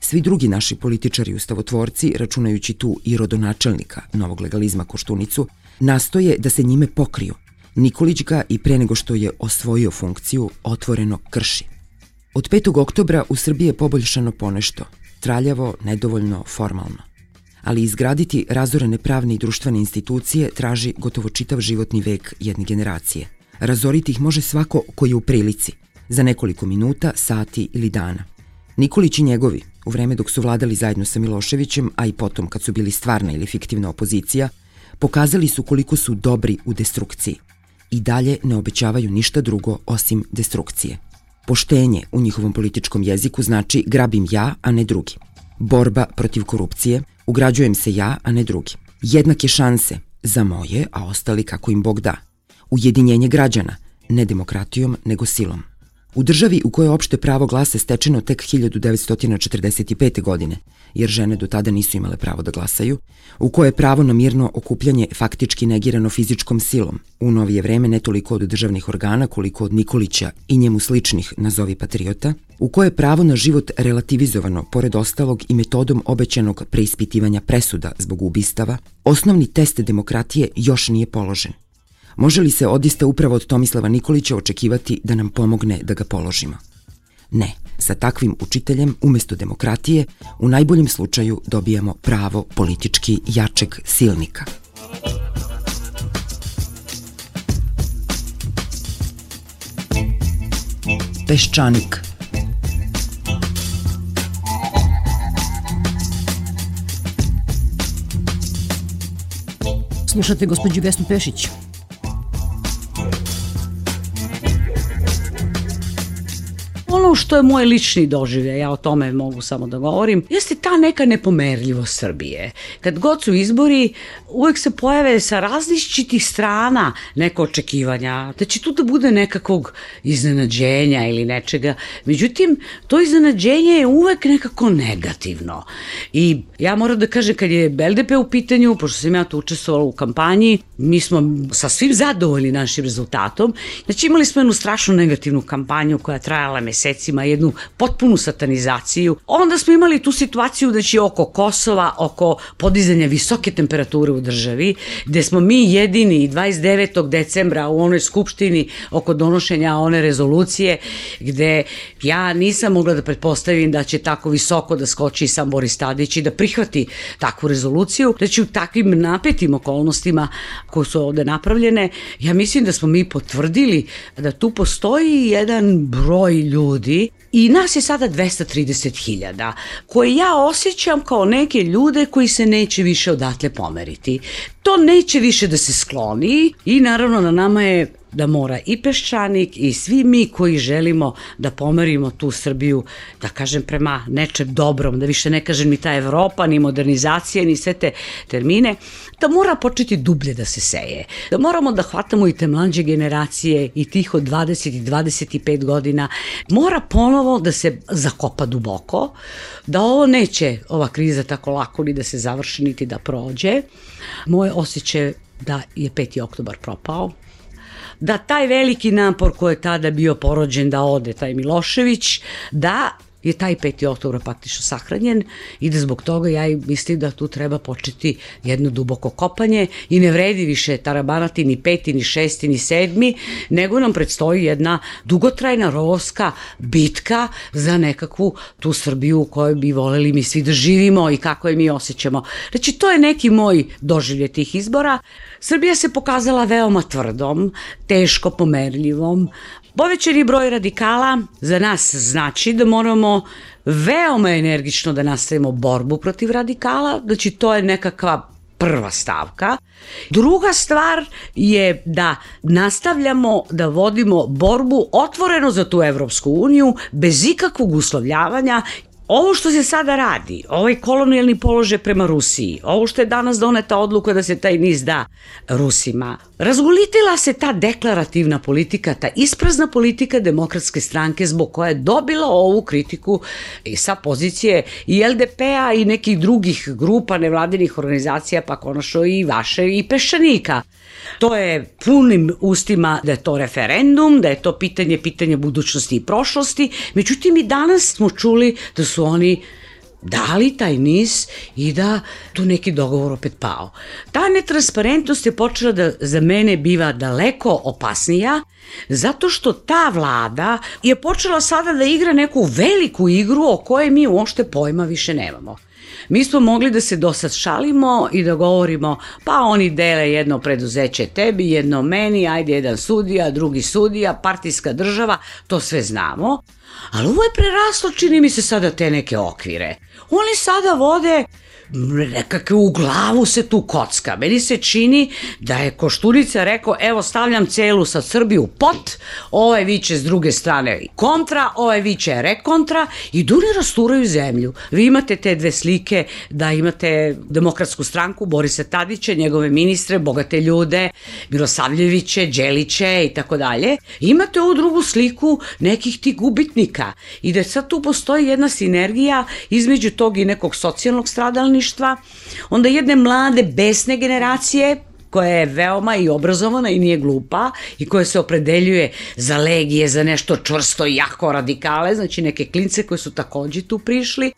Svi drugi naši političari ustavotvorci, računajući tu i rodonačelnika novog legalizma Koštunicu, nastoje da se njime pokriju. Nikolić ga i pre nego što je osvojio funkciju otvoreno krši. Od 5. oktobra u Srbiji je poboljšano ponešto, traljavo, nedovoljno, formalno. Ali izgraditi razorene pravne i društvene institucije traži gotovo čitav životni vek jedne generacije. Razoriti ih može svako koji je u prilici, za nekoliko minuta, sati ili dana. Nikolić i njegovi, u vreme dok su vladali zajedno sa Miloševićem, a i potom kad su bili stvarna ili fiktivna opozicija, pokazali su koliko su dobri u destrukciji. I dalje ne obećavaju ništa drugo osim destrukcije. Poštenje u njihovom političkom jeziku znači grabim ja, a ne drugi. Borba protiv korupcije, ugrađujem se ja, a ne drugi. Jednake šanse za moje, a ostali kako im Bog da. Ujedinjenje građana, ne demokratijom, nego silom. U državi u kojoj je opšte pravo glasa stečeno tek 1945. godine, jer žene do tada nisu imale pravo da glasaju, u kojoj je pravo na mirno okupljanje faktički negirano fizičkom silom, u novije vreme ne toliko od državnih organa koliko od Nikolića i njemu sličnih nazovi patriota, u kojoj je pravo na život relativizovano, pored ostalog i metodom obećanog preispitivanja presuda zbog ubistava, osnovni test demokratije još nije položen. Može li se odista upravo od Tomislava Nikolića očekivati da nam pomogne da ga položimo? Ne, sa takvim učiteljem umesto demokratije u najboljem slučaju dobijamo pravo politički jačeg silnika. Peščanik. Slušate gospođu Vesnu Pešić. Ono što je moj lični doživljaj, ja o tome mogu samo da govorim, jeste ta neka nepomerljivost Srbije. Kad god su izbori, uvek se pojave sa različitih strana neka očekivanja, da će tu da bude nekakvog iznenađenja ili nečega. Međutim, to iznenađenje je uvek nekako negativno. I ja moram da kažem, kad je LDP u pitanju, pošto sam ja tu učestvovala u kampanji, mi smo sa svim zadovoljni našim rezultatom. Znači, imali smo jednu strašno negativnu kampanju koja je trajala mesecima, jednu potpunu satanizaciju. Onda smo imali tu situaciju da će oko Kosova, oko podizanja visoke temperature u državi, gde smo mi jedini 29. decembra u onoj skupštini oko donošenja one rezolucije, gde ja nisam mogla da pretpostavim da će tako visoko da skoči sam Boris Tadić i da prihvati takvu rezoluciju, da će u takvim napetim okolnostima koje su ovde napravljene, ja mislim da smo mi potvrdili da tu postoji jedan broj ljudi i nas je sada 230.000, koje ja osjećam kao neke ljude koji se neće više odatle pomeriti. To neće više da se skloni i naravno na nama je da mora i Peščanik i svi mi koji želimo da pomerimo tu Srbiju, da kažem prema nečem dobrom, da više ne kažem ni ta Evropa, ni modernizacija, ni sve te termine, da mora početi dublje da se seje. Da moramo da hvatamo i te mlađe generacije i tih od 20 i 25 godina. Mora ponovo da se zakopa duboko, da ovo neće, ova kriza tako lako ni da se završi, niti da prođe. Moje osjećaj da je 5. oktobar propao, da taj veliki napor koji je tada bio porođen da ode taj Milošević, da je taj 5. oktobar praktično sahranjen i da zbog toga ja mislim da tu treba početi jedno duboko kopanje i ne vredi više tarabanati ni 5. ni 6. ni 7. nego nam predstoji jedna dugotrajna rovska bitka za nekakvu tu Srbiju u kojoj bi voleli mi svi da živimo i kako je mi osjećamo. Znači, to je neki moj doživlje tih izbora. Srbija se pokazala veoma tvrdom, teško pomerljivom. Povećani broj radikala za nas znači da moramo veoma energično da nastavimo borbu protiv radikala, znači to je nekakva prva stavka. Druga stvar je da nastavljamo da vodimo borbu otvoreno za tu Evropsku uniju, bez ikakvog uslovljavanja. Ovo što se sada radi, ovaj kolonijalni položaj prema Rusiji, ovo što je danas doneta odluka da se taj NIS da Rusima, razgolitila se ta deklarativna politika, ta isprazna politika Demokratske stranke zbog koja je dobila ovu kritiku i sa pozicije i LDP-a i nekih drugih grupa nevladinih organizacija, pa konačno i vaše i Peščanika. To je punim ustima da je to referendum, da je to pitanje budućnosti i prošlosti, međutim i danas smo čuli da su oni dali taj NIS i da tu neki dogovor opet pao. Ta netransparentnost je počela da za mene biva daleko opasnija, zato što ta vlada je počela sada da igra neku veliku igru o kojoj mi uopšte pojma više nemamo. Mi smo mogli da se dosad šalimo i da govorimo pa oni dele jedno preduzeće tebi, jedno meni, ajde jedan sudija, drugi sudija, partijska država, to sve znamo. Ali ovo je preraslo, čini mi se sada te neke okvire. Oni sada vode nekakve, u glavu se tu kocka. Meni se čini da je Koštunica rekao, evo stavljam celu sad Srbiju pot, ovaj viče s druge strane kontra, ovaj viče rekontra i duni rasturaju zemlju. Vi imate te dve slike da imate Demokratsku stranku, Borisa Tadića, njegove ministre, bogate ljude, Milosavljeviće, Đeliće i tako dalje. Imate ovu drugu sliku nekih tih gubitnika i da sad tu postoji jedna sinergija između tog i nekog socijalnog stradalništva, onda jedne mlade, besne generacije koja je veoma i obrazovana i nije glupa i koja se opredeljuje za legije, za nešto čvrsto i jako radikale, znači neke klince koji su takođe tu prišli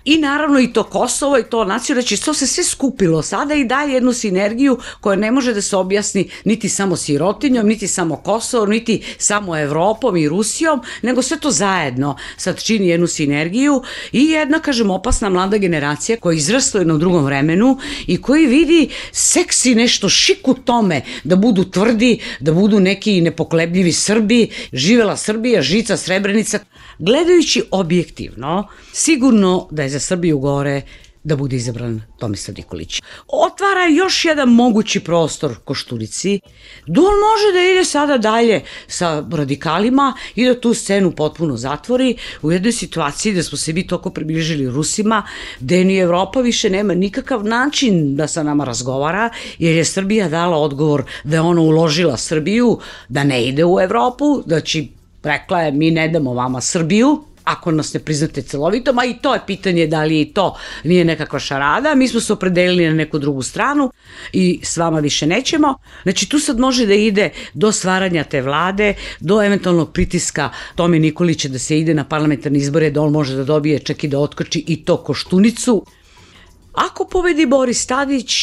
i naravno i to Kosovo i to nacija, znači to se sve skupilo sada i daje jednu sinergiju koja ne može da se objasni niti samo sirotinjom, niti samo Kosovom, niti samo Evropom i Rusijom, nego sve to zajedno sad čini jednu sinergiju i jedna, kažem, opasna mlada generacija koja izrasla u jednom drugom vremenu i koji vidi seksi nešto šik u tome da budu tvrdi, da budu neki nepokolebljivi Srbi, živela Srbija, žica Srebrenica. Gledajući objektivno, sigurno da je za Srbiju gore da bude izabran Tomislav Nikolić. Otvara još jedan mogući prostor Koštunici, da on može da ide sada dalje sa radikalima i da tu scenu potpuno zatvori u jednoj situaciji da smo se mi toliko približili Rusima, da ni Evropa više nema nikakav način da sa nama razgovara, jer je Srbija dala odgovor da je ona uložila Srbiju, da ne ide u Evropu, znači rekla je mi ne damo vama Srbiju, ako nas ne priznate celovitom, a i to je pitanje da li i to nije nekakva šarada, mi smo se opredelili na neku drugu stranu i s vama više nećemo. Znači tu sad može da ide do stvaranja te vlade, do eventualnog pritiska Tome Nikolića da se ide na parlamentarne izbore, da on može da dobije čak i da otkoči i to Koštunicu. Ako pobedi Boris Tadić,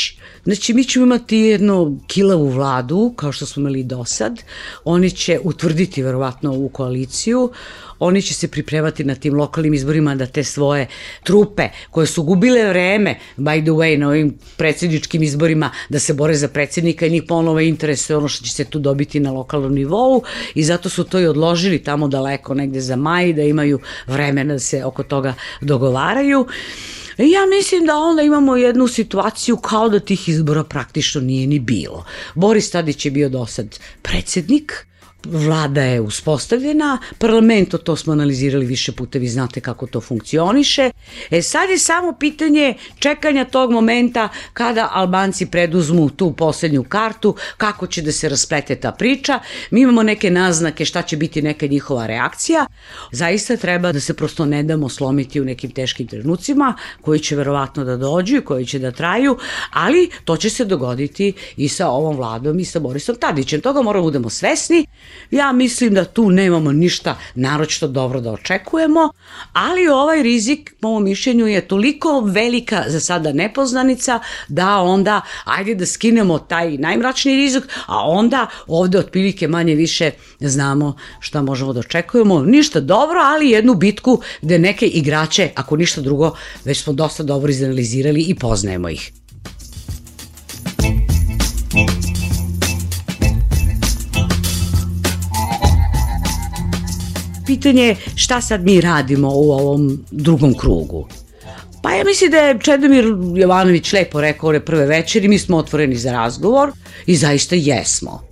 znači mi ćemo imati jednu kilavu vladu, kao što smo imali do sad, oni će utvrditi verovatno ovu koaliciju, oni će se pripremati na tim lokalnim izborima da te svoje trupe koje su gubile vreme, by the way, na ovim predsjedničkim izborima da se bore za predsjednika i njih ponovo interesuje ono što će se tu dobiti na lokalnom nivou i zato su to i odložili tamo daleko negde za maj da imaju vremena da se oko toga dogovaraju. Ja mislim da onda imamo jednu situaciju kao da tih izbora praktično nije ni bilo. Boris Tadić je bio do sad predsjednik, Vlada je uspostavljena, parlamento, to smo analizirali više puta, vi znate kako to funkcioniše. Sad je samo pitanje čekanja tog momenta kada Albanci preduzmu tu poslednju kartu, kako će da se rasplete ta priča. Mi imamo neke naznake šta će biti neka njihova reakcija. Zaista treba da se prosto ne damo slomiti u nekim teškim trenucima koji će verovatno da dođu i koji će da traju, ali to će se dogoditi i sa ovom Vladom i sa Borisom Tadićem. Toga moramo budemo svesni. Ja mislim da tu nemamo ništa naročito dobro da očekujemo, ali ovaj rizik, po mom mišljenju, je toliko velika za sada nepoznanica da onda ajde da skinemo taj najmračniji rizik, a onda ovde otprilike manje više znamo šta možemo da očekujemo. Ništa dobro, ali jednu bitku gde neke igrače, ako ništa drugo, već smo dosta dobro izanalizirali i poznajemo ih. Pitanje je šta sad mi radimo u ovom drugom krugu. Pa ja mislim da je Čedomir Jovanović lepo rekao ove prve večeri, mi smo otvoreni za razgovor i zaista jesmo.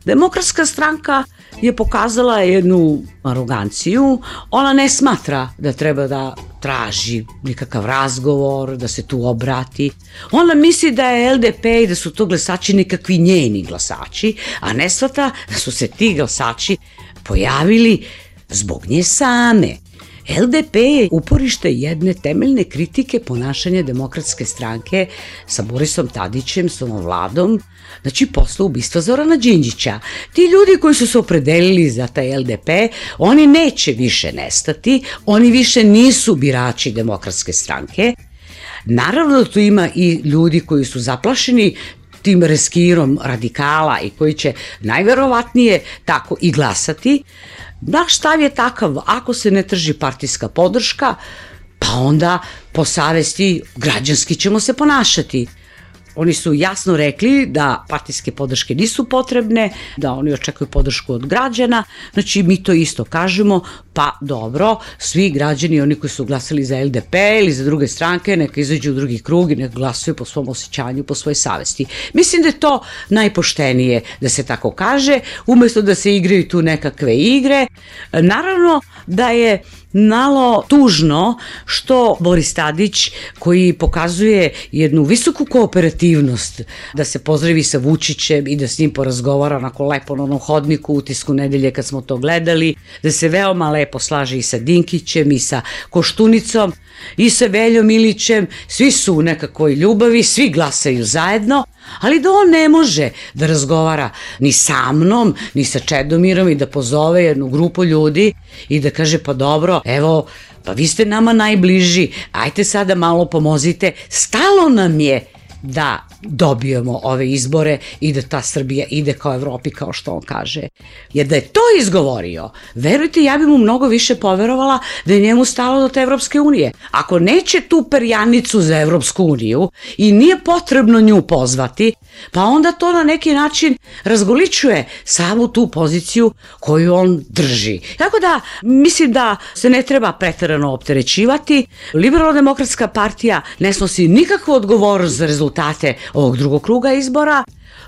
Demokratska stranka je pokazala jednu aroganciju, ona ne smatra da treba da traži nikakav razgovor, da se tu obrati. Ona misli da je LDP i da su to glasači nekakvi njeni glasači, a ne shvata da su se ti glasači pojavili zbog nje same. LDP je uporište jedne temeljne kritike ponašanja Demokratske stranke sa Borisom Tadićem, s ovom Vladom, znači posle ubistva Zorana Đinđića. Ti ljudi koji su se opredelili za taj LDP, oni neće više nestati, oni više nisu birači Demokratske stranke. Naravno da tu ima i ljudi koji su zaplašeni tim reskirom radikala i koji će najverovatnije tako i glasati. Naš stav je takav, ako se ne trži partijska podrška, pa onda po savesti građanski ćemo se ponašati. Oni su jasno rekli da partijske podrške nisu potrebne, da oni očekuju podršku od građana, znači mi to isto kažemo, pa dobro, svi građani, oni koji su glasali za LDP ili za druge stranke, neka izađu u drugi krug i neka glasuju po svom osjećanju, po svojoj savesti. Mislim da je to najpoštenije da se tako kaže, umesto da se igraju tu nekakve igre. Naravno da je malo tužno što Boris Tadić, koji pokazuje jednu visoku kooperativnost, da se pozdravi sa Vučićem i da s njim porazgovara onako lepo na onom hodniku u Utisku nedelje kad smo to gledali, da se veoma lepo slaže i sa Dinkićem i sa Koštunicom i sa Veljom Ilićem, svi su u nekakvoj ljubavi, svi glasaju zajedno, ali da on ne može da razgovara ni sa mnom, ni sa Čedomirom i da pozove jednu grupu ljudi i da kaže pa dobro, evo, pa vi ste nama najbliži, ajte sada malo pomozite, stalo nam je da dobijemo ove izbore i da ta Srbija ide kao Evropi, kao što on kaže. Jer da je to izgovorio, verujte, ja bi mu mnogo više poverovala da je njemu stalo do te Evropske unije. Ako neće tu perjanicu za Evropsku uniju i nije potrebno nju pozvati, pa onda to na neki način razgoličuje samu tu poziciju koju on drži. Tako da, mislim da se ne treba preterano opterećivati. Liberalno-demokratska partija ne snosi nikakvu odgovornost za rezultate ovog drugog kruga izbora.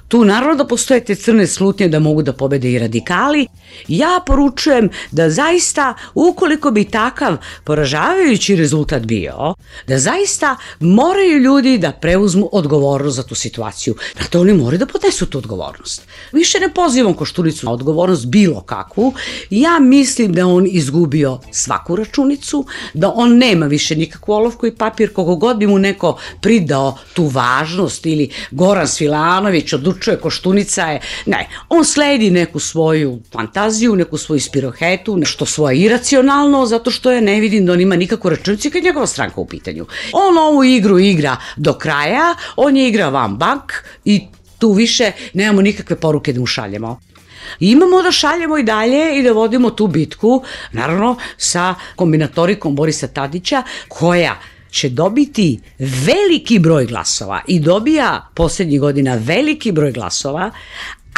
Tu naravno da postoje te crne slutnje da mogu da pobede i radikali. Ja poručujem da zaista, ukoliko bi takav poražavajući rezultat bio, da zaista moraju ljudi da preuzmu odgovornost za tu situaciju. Dakle, oni moraju da podnesu tu odgovornost. Više ne pozivam Koštunicu na odgovornost bilo kakvu. Ja mislim da on izgubio svaku računicu, da on nema više nikakvu olovku i papir, koliko god bi mu neko pridao tu važnost ili Goran Svilanović odlučuje, Koštunica je, ne, on sledi neku svoju fantaziju, neku svoju spirohetu, nešto svoje iracionalno, zato što ja ne vidim da on ima nikakvu računicu kad je njegova stranka u pitanju. On ovu igru igra do kraja, on je igra van bank i tu više nemamo nikakve poruke da mu šaljemo. Imamo da šaljemo i dalje i da vodimo tu bitku, naravno sa kombinatorikom Borisa Tadića, koja će dobiti veliki broj glasova i dobija poslednjih godina veliki broj glasova,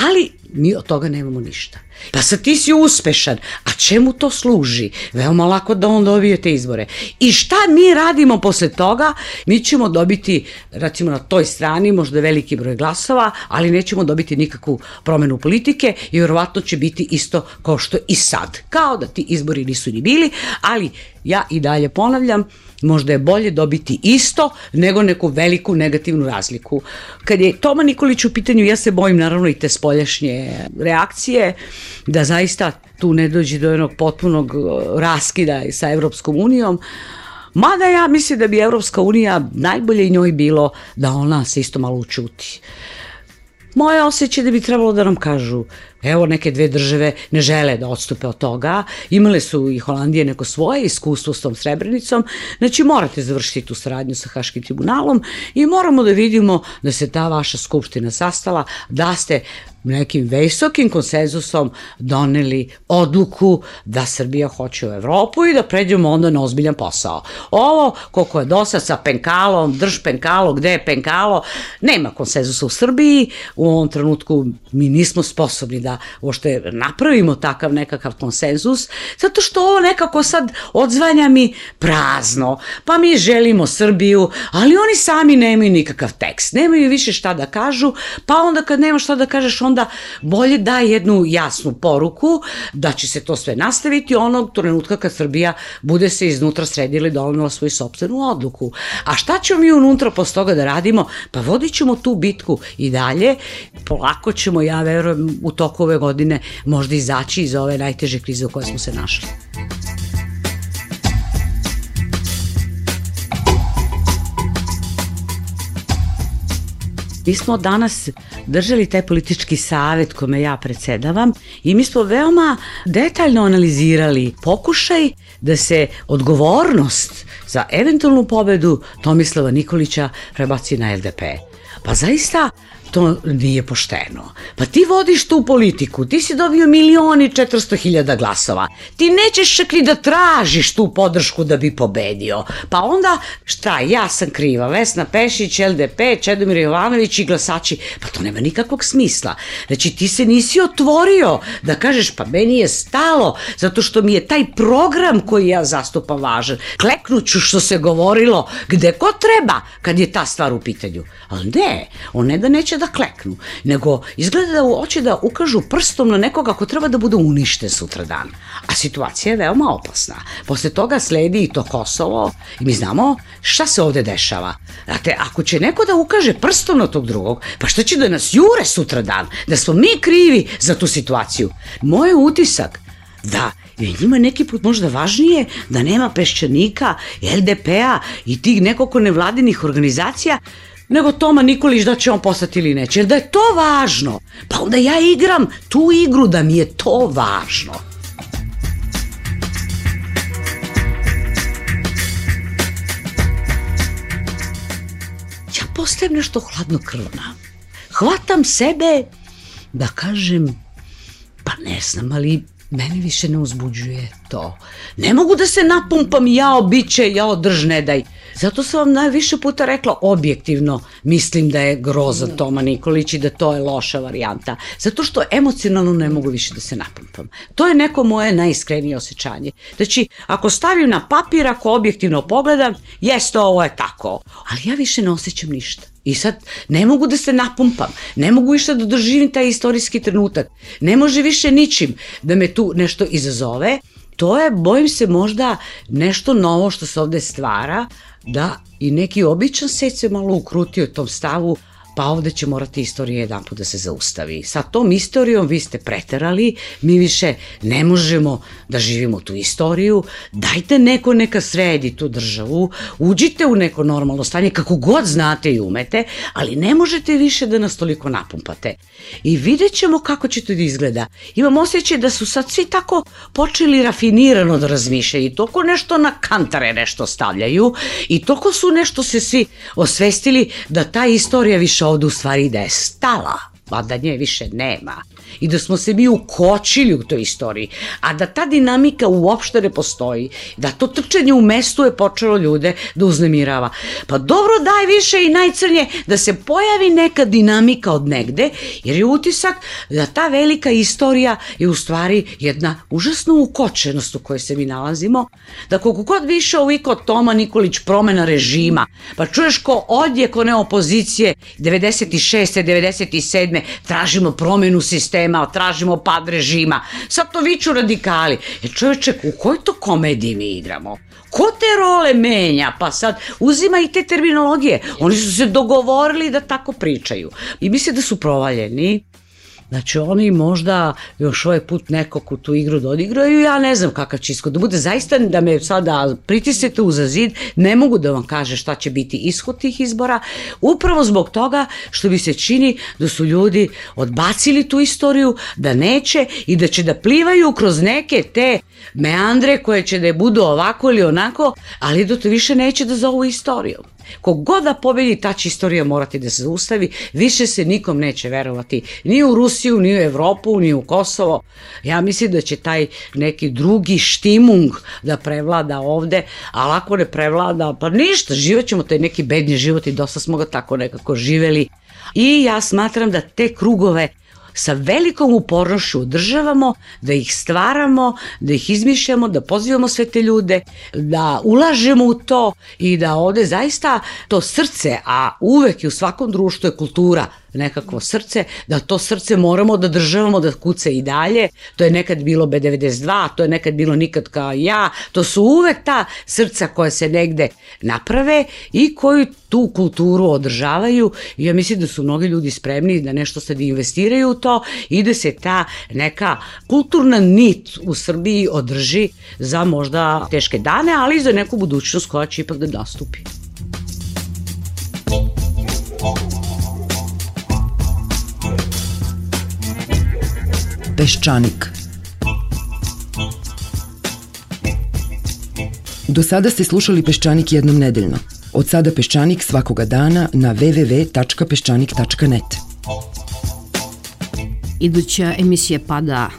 Ali mi od toga nemamo ništa. Pa sad ti si uspešan, a čemu to služi? Veoma lako da on dobije te izbore. I šta mi radimo posle toga? Mi ćemo dobiti, recimo na toj strani, možda veliki broj glasova, ali nećemo dobiti nikakvu promenu politike i vjerovatno će biti isto kao što i sad. Kao da ti izbori nisu ni bili, ali ja i dalje ponavljam, možda je bolje dobiti isto nego neku veliku negativnu razliku. Kad je Toma Nikolić u pitanju, ja se bojim naravno i te spoljašnje reakcije, da zaista tu ne dođe do jednog potpunog raskida sa Evropskom unijom, mada ja mislim da bi Evropska unija najbolje i njoj bilo da ona se isto malo učuti. Moje osjećaj da bi trebalo da nam kažu, evo neke dve države ne žele da odstupe od toga, imale su i Holandije neko svoje iskustvo s tom Srebrenicom, znači morate završiti tu saradnju sa Haškim tribunalom i moramo da vidimo da se ta vaša skupština sastala, da ste nekim visokim konsenzusom doneli odluku da Srbija hoće u Evropu i da pređemo onda na ozbiljan posao. Ovo, koliko je dosad sa penkalom, drž penkalo, gde je penkalo, nema konsenzusa u Srbiji, u ovom trenutku mi nismo sposobni da uopšte napravimo takav nekakav konsenzus, zato što ovo nekako sad odzvanja mi prazno, pa mi želimo Srbiju, ali oni sami nemaju nikakav tekst, nemaju više šta da kažu, pa onda kad nema šta da kažeš, onda bolje daj jednu jasnu poruku da će se to sve nastaviti onog trenutka kad Srbija bude se iznutra sredila i donela svoju sopstvenu odluku. A šta ćemo mi unutra posle toga da radimo? Pa vodit ćemo tu bitku i dalje, polako ćemo, ja verujem, u toku ove godine možda izaći iz ove najteže krize u kojoj smo se našli. Mi smo danas držali taj politički savet kome ja predsedavam i mi smo veoma detaljno analizirali pokušaj da se odgovornost za eventualnu pobedu Tomislava Nikolića prebaci na LDP. Pa zaista to nije pošteno. Pa ti vodiš tu politiku, ti si dobio 1.400.000 glasova, ti nećeš čak ni da tražiš tu podršku da bi pobedio. Pa onda, šta, ja sam kriva, Vesna Pešić, LDP, Čedomir Jovanović i glasači, pa to nema nikakvog smisla. Znači ti se nisi otvorio da kažeš pa meni je stalo, zato što mi je taj program koji ja zastupam važan. Kleknuću što se govorilo gde ko treba kad je ta stvar u pitanju. Ali ne, on ne da neće da kleknu, nego izgleda da hoće da ukažu prstom na nekoga ko treba da bude uništen sutradan. A situacija je veoma opasna. Posle toga sledi i to Kosovo i mi znamo šta se ovde dešava. Znate, ako će neko da ukaže prstom na tog drugog, pa šta će da nas jure sutradan? Da smo mi krivi za tu situaciju? Moj utisak da je njima neki put možda važnije da nema Peščanika, LDP-a i tih nekoliko nevladinih organizacija nego Toma Nikolić da će on postati ili neće. Jer da je to važno, pa onda ja igram tu igru da mi je to važno. Ja postajem nešto hladnokrvna. Hvatam sebe da kažem, pa ne znam, ali meni više ne uzbuđuje to. Ne mogu da se napumpam, jao biće, jao drž ne daj. Zato sam vam najviše puta rekla, objektivno mislim da je grozan Toma Nikolić i da to je loša varijanta. Zato što emocionalno ne mogu više da se napumpam. To je neko moje najiskrenije osjećanje. Znači, ako stavim na papir, ako objektivno pogledam, jeste, ovo je tako. Ali ja više ne osjećam ništa. I sad ne mogu da se napumpam, ne mogu više da doživim taj istorijski trenutak, ne može više ničim da me tu nešto izazove. To je, bojim se, možda nešto novo što se ovde stvara, da i neki običan svet se malo ukrutio u tom stavu, pa ovde će morati istorija jedan put da se zaustavi. Sa tom istorijom vi ste preterali, mi više ne možemo da živimo tu istoriju, dajte neko neka sredi tu državu, uđite u neko normalno stanje, kako god znate i umete, ali ne možete više da nas toliko napumpate. I vidjet ćemo kako će to da izgleda. Imam osjećaj da su sad svi tako počeli rafinirano da razmišljaju i toliko nešto na kantare nešto stavljaju i toliko su nešto se svi osvestili da ta istorija više ovde u stvari da je stala, a da nje više nema. i da smo se mi ukočili u toj istoriji, a da ta dinamika uopšte ne postoji, da to trčanje u mestu je počelo ljude da uznemirava. Pa dobro, daj više i najcrnje da se pojavi neka dinamika od negde, jer je utisak da ta velika istorija je u stvari jedna užasna ukočenost u kojoj se mi nalazimo, da koliko god više oviko Toma Nikolić promena režima, pa čuješ ko odjek one opozicije 96. 97. tražimo promenu sistema, tražimo pad režima, sad to viču radikali. Čovječe, u kojoj to komediji mi igramo? Ko te role menja? Pa sad uzima i te terminologije. Oni su se dogovorili da tako pričaju. I misle da su provaljeni. Znači oni možda još ovaj put nekog u tu igru da odigraju, ja ne znam kakav će ishod da bude. Zaista da me sada pritisnete uza zid, ne mogu da vam kažem šta će biti ishod tih izbora, upravo zbog toga što mi se čini da su ljudi odbacili tu istoriju, da neće i da će da plivaju kroz neke te meandre koje će da budu ovako ili onako, ali da to više neće da zovu istorijom. Kogod da pobedi, ta će istorija morati da se zaustavi, više se nikom neće verovati, ni u Rusiju, ni u Evropu, ni u Kosovo. Ja mislim da će taj neki drugi štimung da prevlada ovde, ali ako ne prevlada, pa ništa, živećemo taj neki bednji život i dosta smo ga tako nekako živeli. I ja smatram da te krugove sa velikom upornošću održavamo, da ih stvaramo, da ih izmišljamo, da pozivamo sve te ljude, da ulažemo u to i da ovde zaista to srce, a uvek i u svakom društvu je kultura, nekakvo srce, da to srce moramo da državamo, da kuca i dalje. To je nekad bilo B92, to je nekad bilo Nikad kao ja, to su uvek ta srca koja se negde naprave i koju tu kulturu održavaju i ja mislim da su mnogi ljudi spremni da nešto sad investiraju u to i da se ta neka kulturna nit u Srbiji održi za možda teške dane, ali i za neku budućnost koja će ipak da nastupi. Peščanik. Do sada ste slušali Peščanik jednom nedeljno. Od sada Peščanik svakoga dana na www.peščanik.net. Iduća emisija pada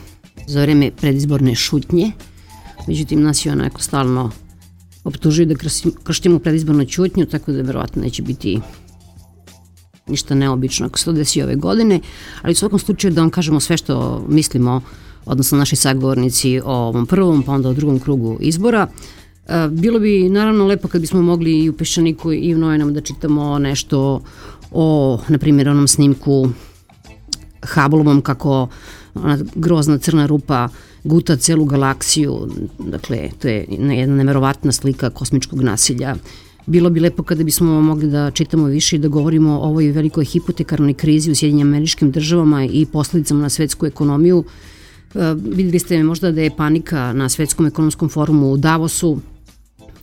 za vreme predizborne šutnje, međutim nas je onako stalno optužuju da krštimo predizbornu ćutnju, tako da verovatno neće biti ništa neobično ako se to desi ove godine, ali u svakom slučaju da vam kažemo sve što mislimo, odnosno naši sagovornici o ovom prvom, pa onda o drugom krugu izbora. Bilo bi naravno lepo kad bismo mogli i u Peščaniku i u novinama da čitamo nešto o, na primjer, onom snimku Hubbleovom kako ona grozna crna rupa guta celu galaksiju, dakle to je jedna neverovatna slika kosmičkog nasilja. Bilo bi lepo kada bismo mogli da čitamo više i da govorimo o ovoj velikoj hipotekarnoj krizi u Sjedinjenim Američkim Državama i posledicama na svetsku ekonomiju. Videli ste možda da je panika na Svetskom ekonomskom forumu u Davosu.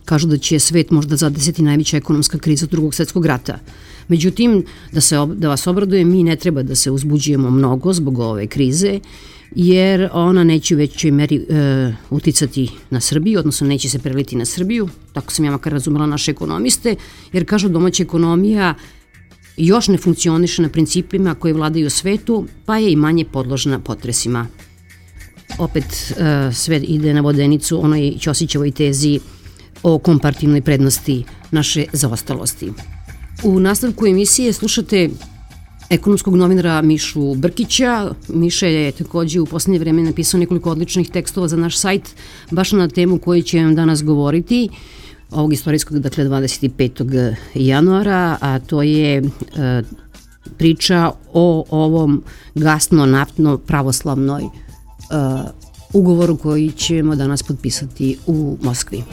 Kažu da će svet možda zadesiti najveća ekonomska kriza od Drugog svetskog rata. Međutim, da vas obradujem, mi ne treba da se uzbuđujemo mnogo zbog ove krize, jer ona neće u većoj meri uticati na Srbiju, odnosno neće se preliti na Srbiju, tako sam ja makar razumela naše ekonomiste, jer kažu domaća ekonomija još ne funkcioniše na principima koji vladaju u svetu, pa je i manje podložna potresima. Opet sve ide na vodenicu onoj Ćosićevoj tezi o komparativnoj prednosti naše zaostalosti. U nastavku emisije slušate ekonomskog novinara Mišu Brkića. Miša je takođe u poslednje vreme napisao nekoliko odličnih tekstova za naš sajt, baš na temu koju će vam danas govoriti, ovog istorijskog, dakle 25. januara, a to je priča o ovom gasno-naftno-pravoslavnoj ugovoru koji ćemo danas potpisati u Moskvi.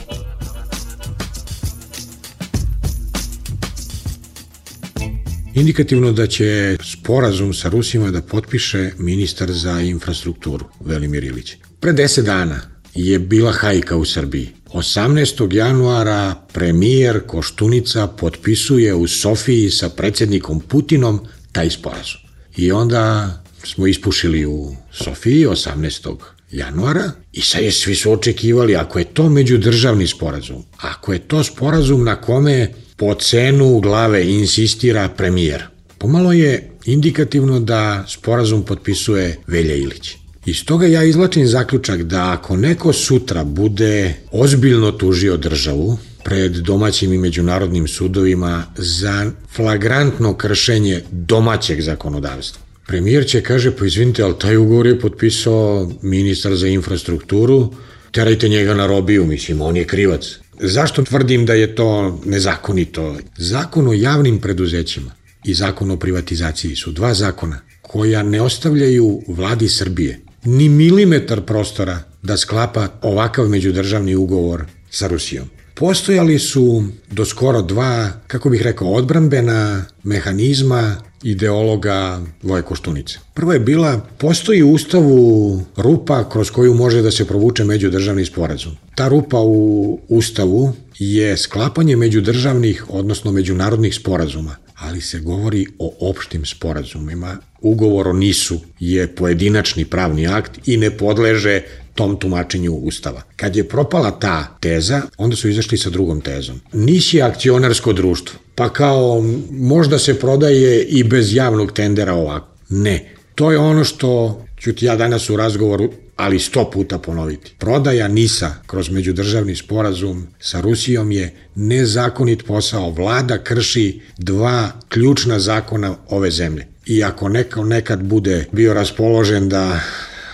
Indikativno da će sporazum sa Rusima da potpiše ministar za infrastrukturu Velimir Ilić. Pre 10 dana je bila hajka u Srbiji. 18. januara premijer Koštunica potpisuje u Sofiji sa predsjednikom Putinom taj sporazum. I onda smo ispušili u Sofiji 18. januara i sad svi su očekivali, ako je to međudržavni sporazum, ako je to sporazum na kome po cenu glave insistira premijer, Pomalo je indikativno da sporazum potpisuje Velja Ilić. Iz toga ja izvlačim zaključak da ako neko sutra bude ozbiljno tužio državu pred domaćim i međunarodnim sudovima za flagrantno kršenje domaćeg zakonodavstva, premijer će kaže, pa izvinite, ali taj ugovor je potpisao ministar za infrastrukturu, terajte njega na robiju, mislim, on je krivac. Zašto tvrdim da je to nezakonito? Zakon o javnim preduzećima i zakon o privatizaciji su dva zakona koja ne ostavljaju vladi Srbije ni milimetar prostora da sklapa ovakav međudržavni ugovor sa Rusijom. Postojali su do skoro dva, kako bih rekao, odbrambena mehanizma ideologa Voje Koštunice. Prvo je bila, postoji u Ustavu rupa kroz koju može da se provuče međudržavni sporazum. Ta rupa u Ustavu je sklapanje međudržavnih, odnosno međunarodnih sporazuma, ali se govori o opštim sporazumima. Ugovor o NIS-u je pojedinačni pravni akt i ne podleže tom tumačenju Ustava. Kad je propala ta teza, onda su izašli sa drugom tezom. NIS je akcionarsko društvo, pa kao možda se prodaje i bez javnog tendera ovako. Ne, to je ono što ću ti ja danas u razgovoru, ali 100 puta ponoviti. Prodaja NIS-a kroz međudržavni sporazum sa Rusijom je nezakonit posao. Vlada krši dva ključna zakona ove zemlje. I ako neko nekad bude bio raspoložen da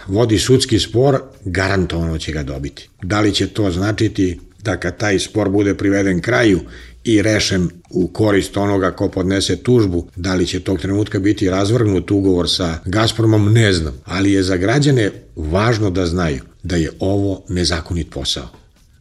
vodi sudski spor, garantovano će ga dobiti. Da li će to značiti da kad taj spor bude priveden kraju i rešen u korist onoga ko podnese tužbu, da li će tog trenutka biti razvrgnut ugovor sa Gazpromom, ne znam. Ali je za građane važno da znaju da je ovo nezakonit posao.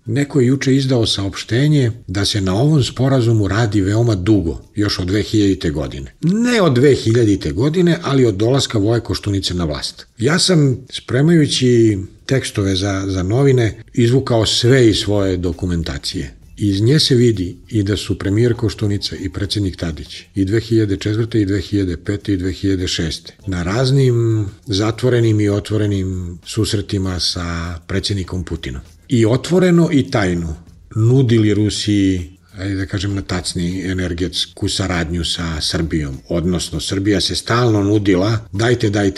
Neko je juče izdao saopštenje da se na ovom sporazumu radi veoma dugo, još od 2000. godine. Ne od 2000. godine, ali od dolaska Voje Koštunice na vlast. Ja sam, spremajući tekstove za novine, izvukao sve iz svoje dokumentacije. Iz nje se vidi i da su premijer Koštunica i predsjednik Tadić i 2004. i 2005. i 2006. na raznim zatvorenim i otvorenim susretima sa predsjednikom Putinom. I otvoreno i tajno nudili Rusiji, ajde da kažem na tacni, energetsku saradnju sa Srbijom. Odnosno, Srbija se stalno nudila,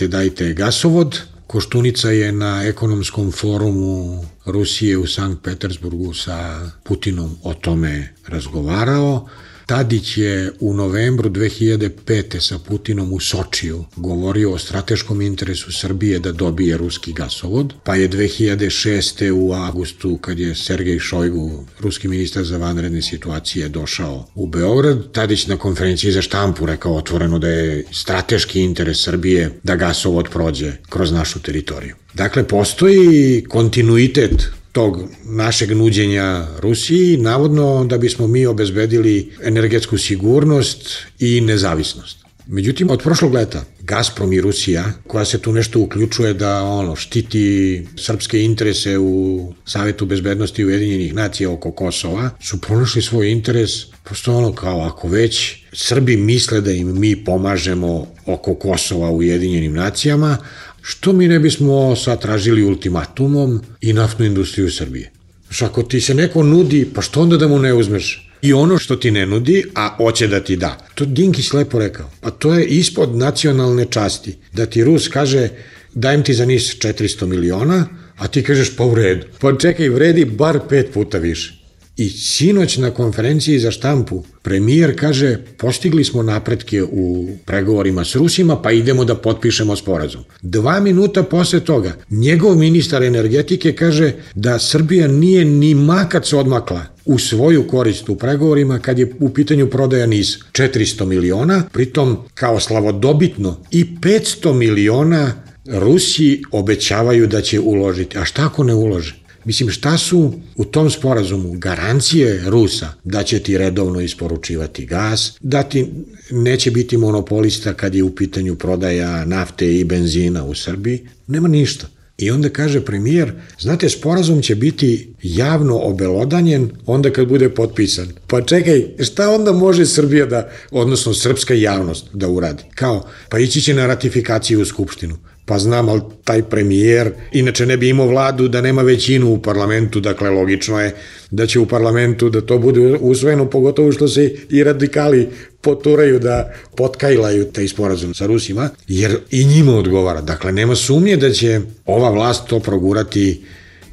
dajte gasovod. Koštunica je na ekonomskom forumu Rusije u Sankt Petersburgu sa Putinom o tome razgovarao. Tadić je u novembru 2005. sa Putinom u Sočiju govorio o strateškom interesu Srbije da dobije ruski gasovod, pa je 2006. u avgustu, kad je Sergej Šojgu, ruski ministar za vanredne situacije, došao u Beograd, Tadić na konferenciji za štampu rekao otvoreno da je strateški interes Srbije da gasovod prođe kroz našu teritoriju. Dakle, postoji kontinuitet tog našeg nuđenja Rusiji, navodno da bismo mi obezbedili energetsku sigurnost i nezavisnost. Međutim, od prošlog leta Gazprom i Rusija, koja se tu nešto uključuje da štiti srpske interese u Savetu bezbednosti Ujedinjenih nacija oko Kosova, su pronašli svoj interes, prosto kao ako već Srbi misle da im mi pomažemo oko Kosova u Ujedinjenim nacijama, što mi ne bismo sad tražili ultimatumom i naftnu industriju Srbije. Ako ti se neko nudi, pa što onda da mu ne uzmeš? I ono što ti ne nudi, a hoće da ti da. To Dinkić lepo rekao. Pa to je ispod nacionalne časti. Da ti Rus kaže, dajem ti za NIS 400 miliona, a ti kažeš pa u redu. Pa čekaj, vredi bar 5 puta više. I sinoć na konferenciji za štampu premijer kaže, postigli smo napretke u pregovorima s Rusima, pa idemo da potpišemo sporazum. 2 minuta posle toga njegov ministar energetike kaže da Srbija nije ni makac odmakla u svoju korist u pregovorima kad je u pitanju prodaja NIS 400 miliona, pritom kao slavodobitno i 500 miliona Rusi obećavaju da će uložiti. A šta ako ne ulože? Mislim, šta su u tom sporazumu garancije Rusa da će ti redovno isporučivati gas, da ti neće biti monopolista kad je u pitanju prodaja nafte i benzina u Srbiji? Nema ništa. I onda kaže premijer, znate, sporazum će biti javno obelodanjen onda kad bude potpisan. Pa čekaj, šta onda može Srbija odnosno srpska javnost da uradi? Kao, pa ići će na ratifikaciju u Skupštinu. Pa znam, ali taj premijer inače ne bi imao vladu da nema većinu u parlamentu, dakle logično je da će u parlamentu da to bude usvojeno, pogotovo što se i radikali poturaju da potkajlaju taj sporazum sa Rusima, jer i njima odgovara. Dakle, nema sumnje da će ova vlast to progurati.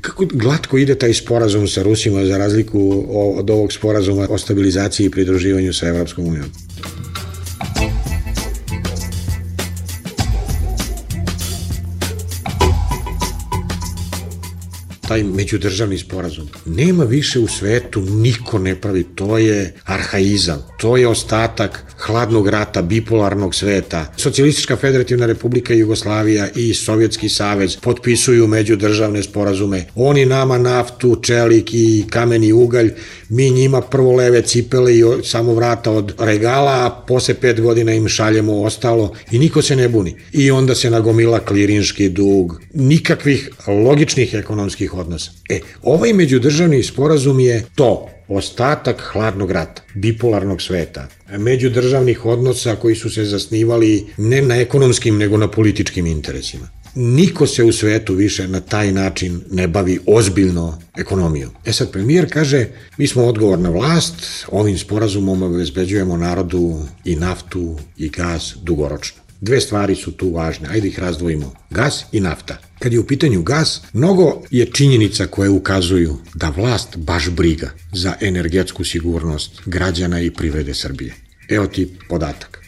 Kako glatko ide taj sporazum sa Rusima za razliku od ovog sporazuma o stabilizaciji i pridruživanju sa Evropskom unijom. Taj međudržavni sporazum. Nema više u svetu, niko ne pravi, to je arhaizam, to je ostatak hladnog rata, bipolarnog sveta. Socijalistička federativna republika Jugoslavija i Sovjetski savez potpisuju međudržavne sporazume. Oni nama naftu, čelik i kameni ugalj, mi njima prvo leve cipele i samo vrata od regala, a posle 5 godina im šaljemo ostalo i niko se ne buni. I onda se nagomila klirinški dug, nikakvih logičnih ekonomskih odnosa. Ovaj međudržavni sporazum je to, ostatak hladnog rata, bipolarnog sveta, međudržavnih odnosa koji su se zasnivali ne na ekonomskim nego na političkim interesima. Niko se u svetu više na taj način ne bavi ozbiljno ekonomijom. Sad premijer kaže, mi smo odgovorna vlast, ovim sporazumom obezbeđujemo narodu i naftu i gas dugoročno. 2 stvari su tu važne, ajde ih razdvojimo. Gas i nafta. Kad je u pitanju gas, mnogo je činjenica koje ukazuju da vlast baš briga za energetsku sigurnost građana i privrede Srbije. Evo ti podatak.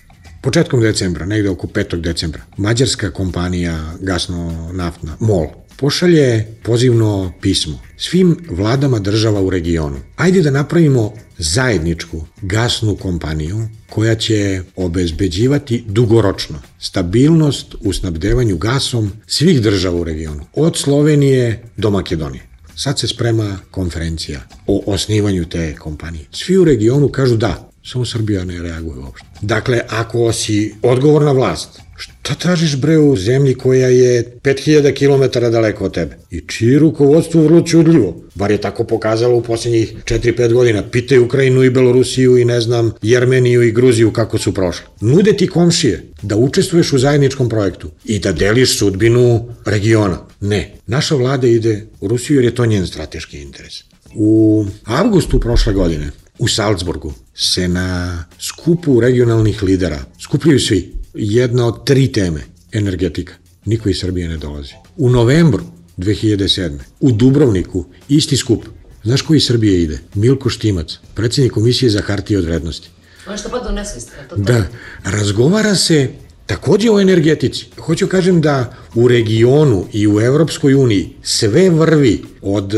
Početkom decembra, negde oko 5. decembra, mađarska kompanija gasno-naftna MOL pošalje pozivno pismo svim vladama država u regionu. Ajde da napravimo zajedničku gasnu kompaniju koja će obezbeđivati dugoročno stabilnost u snabdevanju gasom svih država u regionu, od Slovenije do Makedonije. Sad se sprema konferencija o osnivanju te kompanije. Svi u regionu kažu da, samo Srbija ne reaguje uopšte. Dakle, ako si odgovorna vlast, šta tražiš bre u zemlji koja je 5000 km daleko od tebe? I čiji rukovodstvo vrlo čudljivo, bar je tako pokazalo u posljednjih 4-5 godina. Pitaj Ukrajinu i Belorusiju i ne znam, Jermeniju i Gruziju kako su prošle. Nude ti komšije da učestvuješ u zajedničkom projektu i da deliš sudbinu regiona. Ne, naša vlada ide u Rusiju jer je to njen strateški interes. U avgustu prošle godine u Salzburgu se na skupu regionalnih lidera skupljaju svi. Jedna od 3 teme, energetika. Niko iz Srbije ne dolazi. U novembru 2007. u Dubrovniku isti skup. Znaš ko iz Srbije ide? Milko Štimac, predsjednik Komisije za hartije od vrednosti. Ono što pa donese. Da, razgovara se takođe o energetici. Hoću kažem da u regionu i u Evropskoj uniji sve vrvi od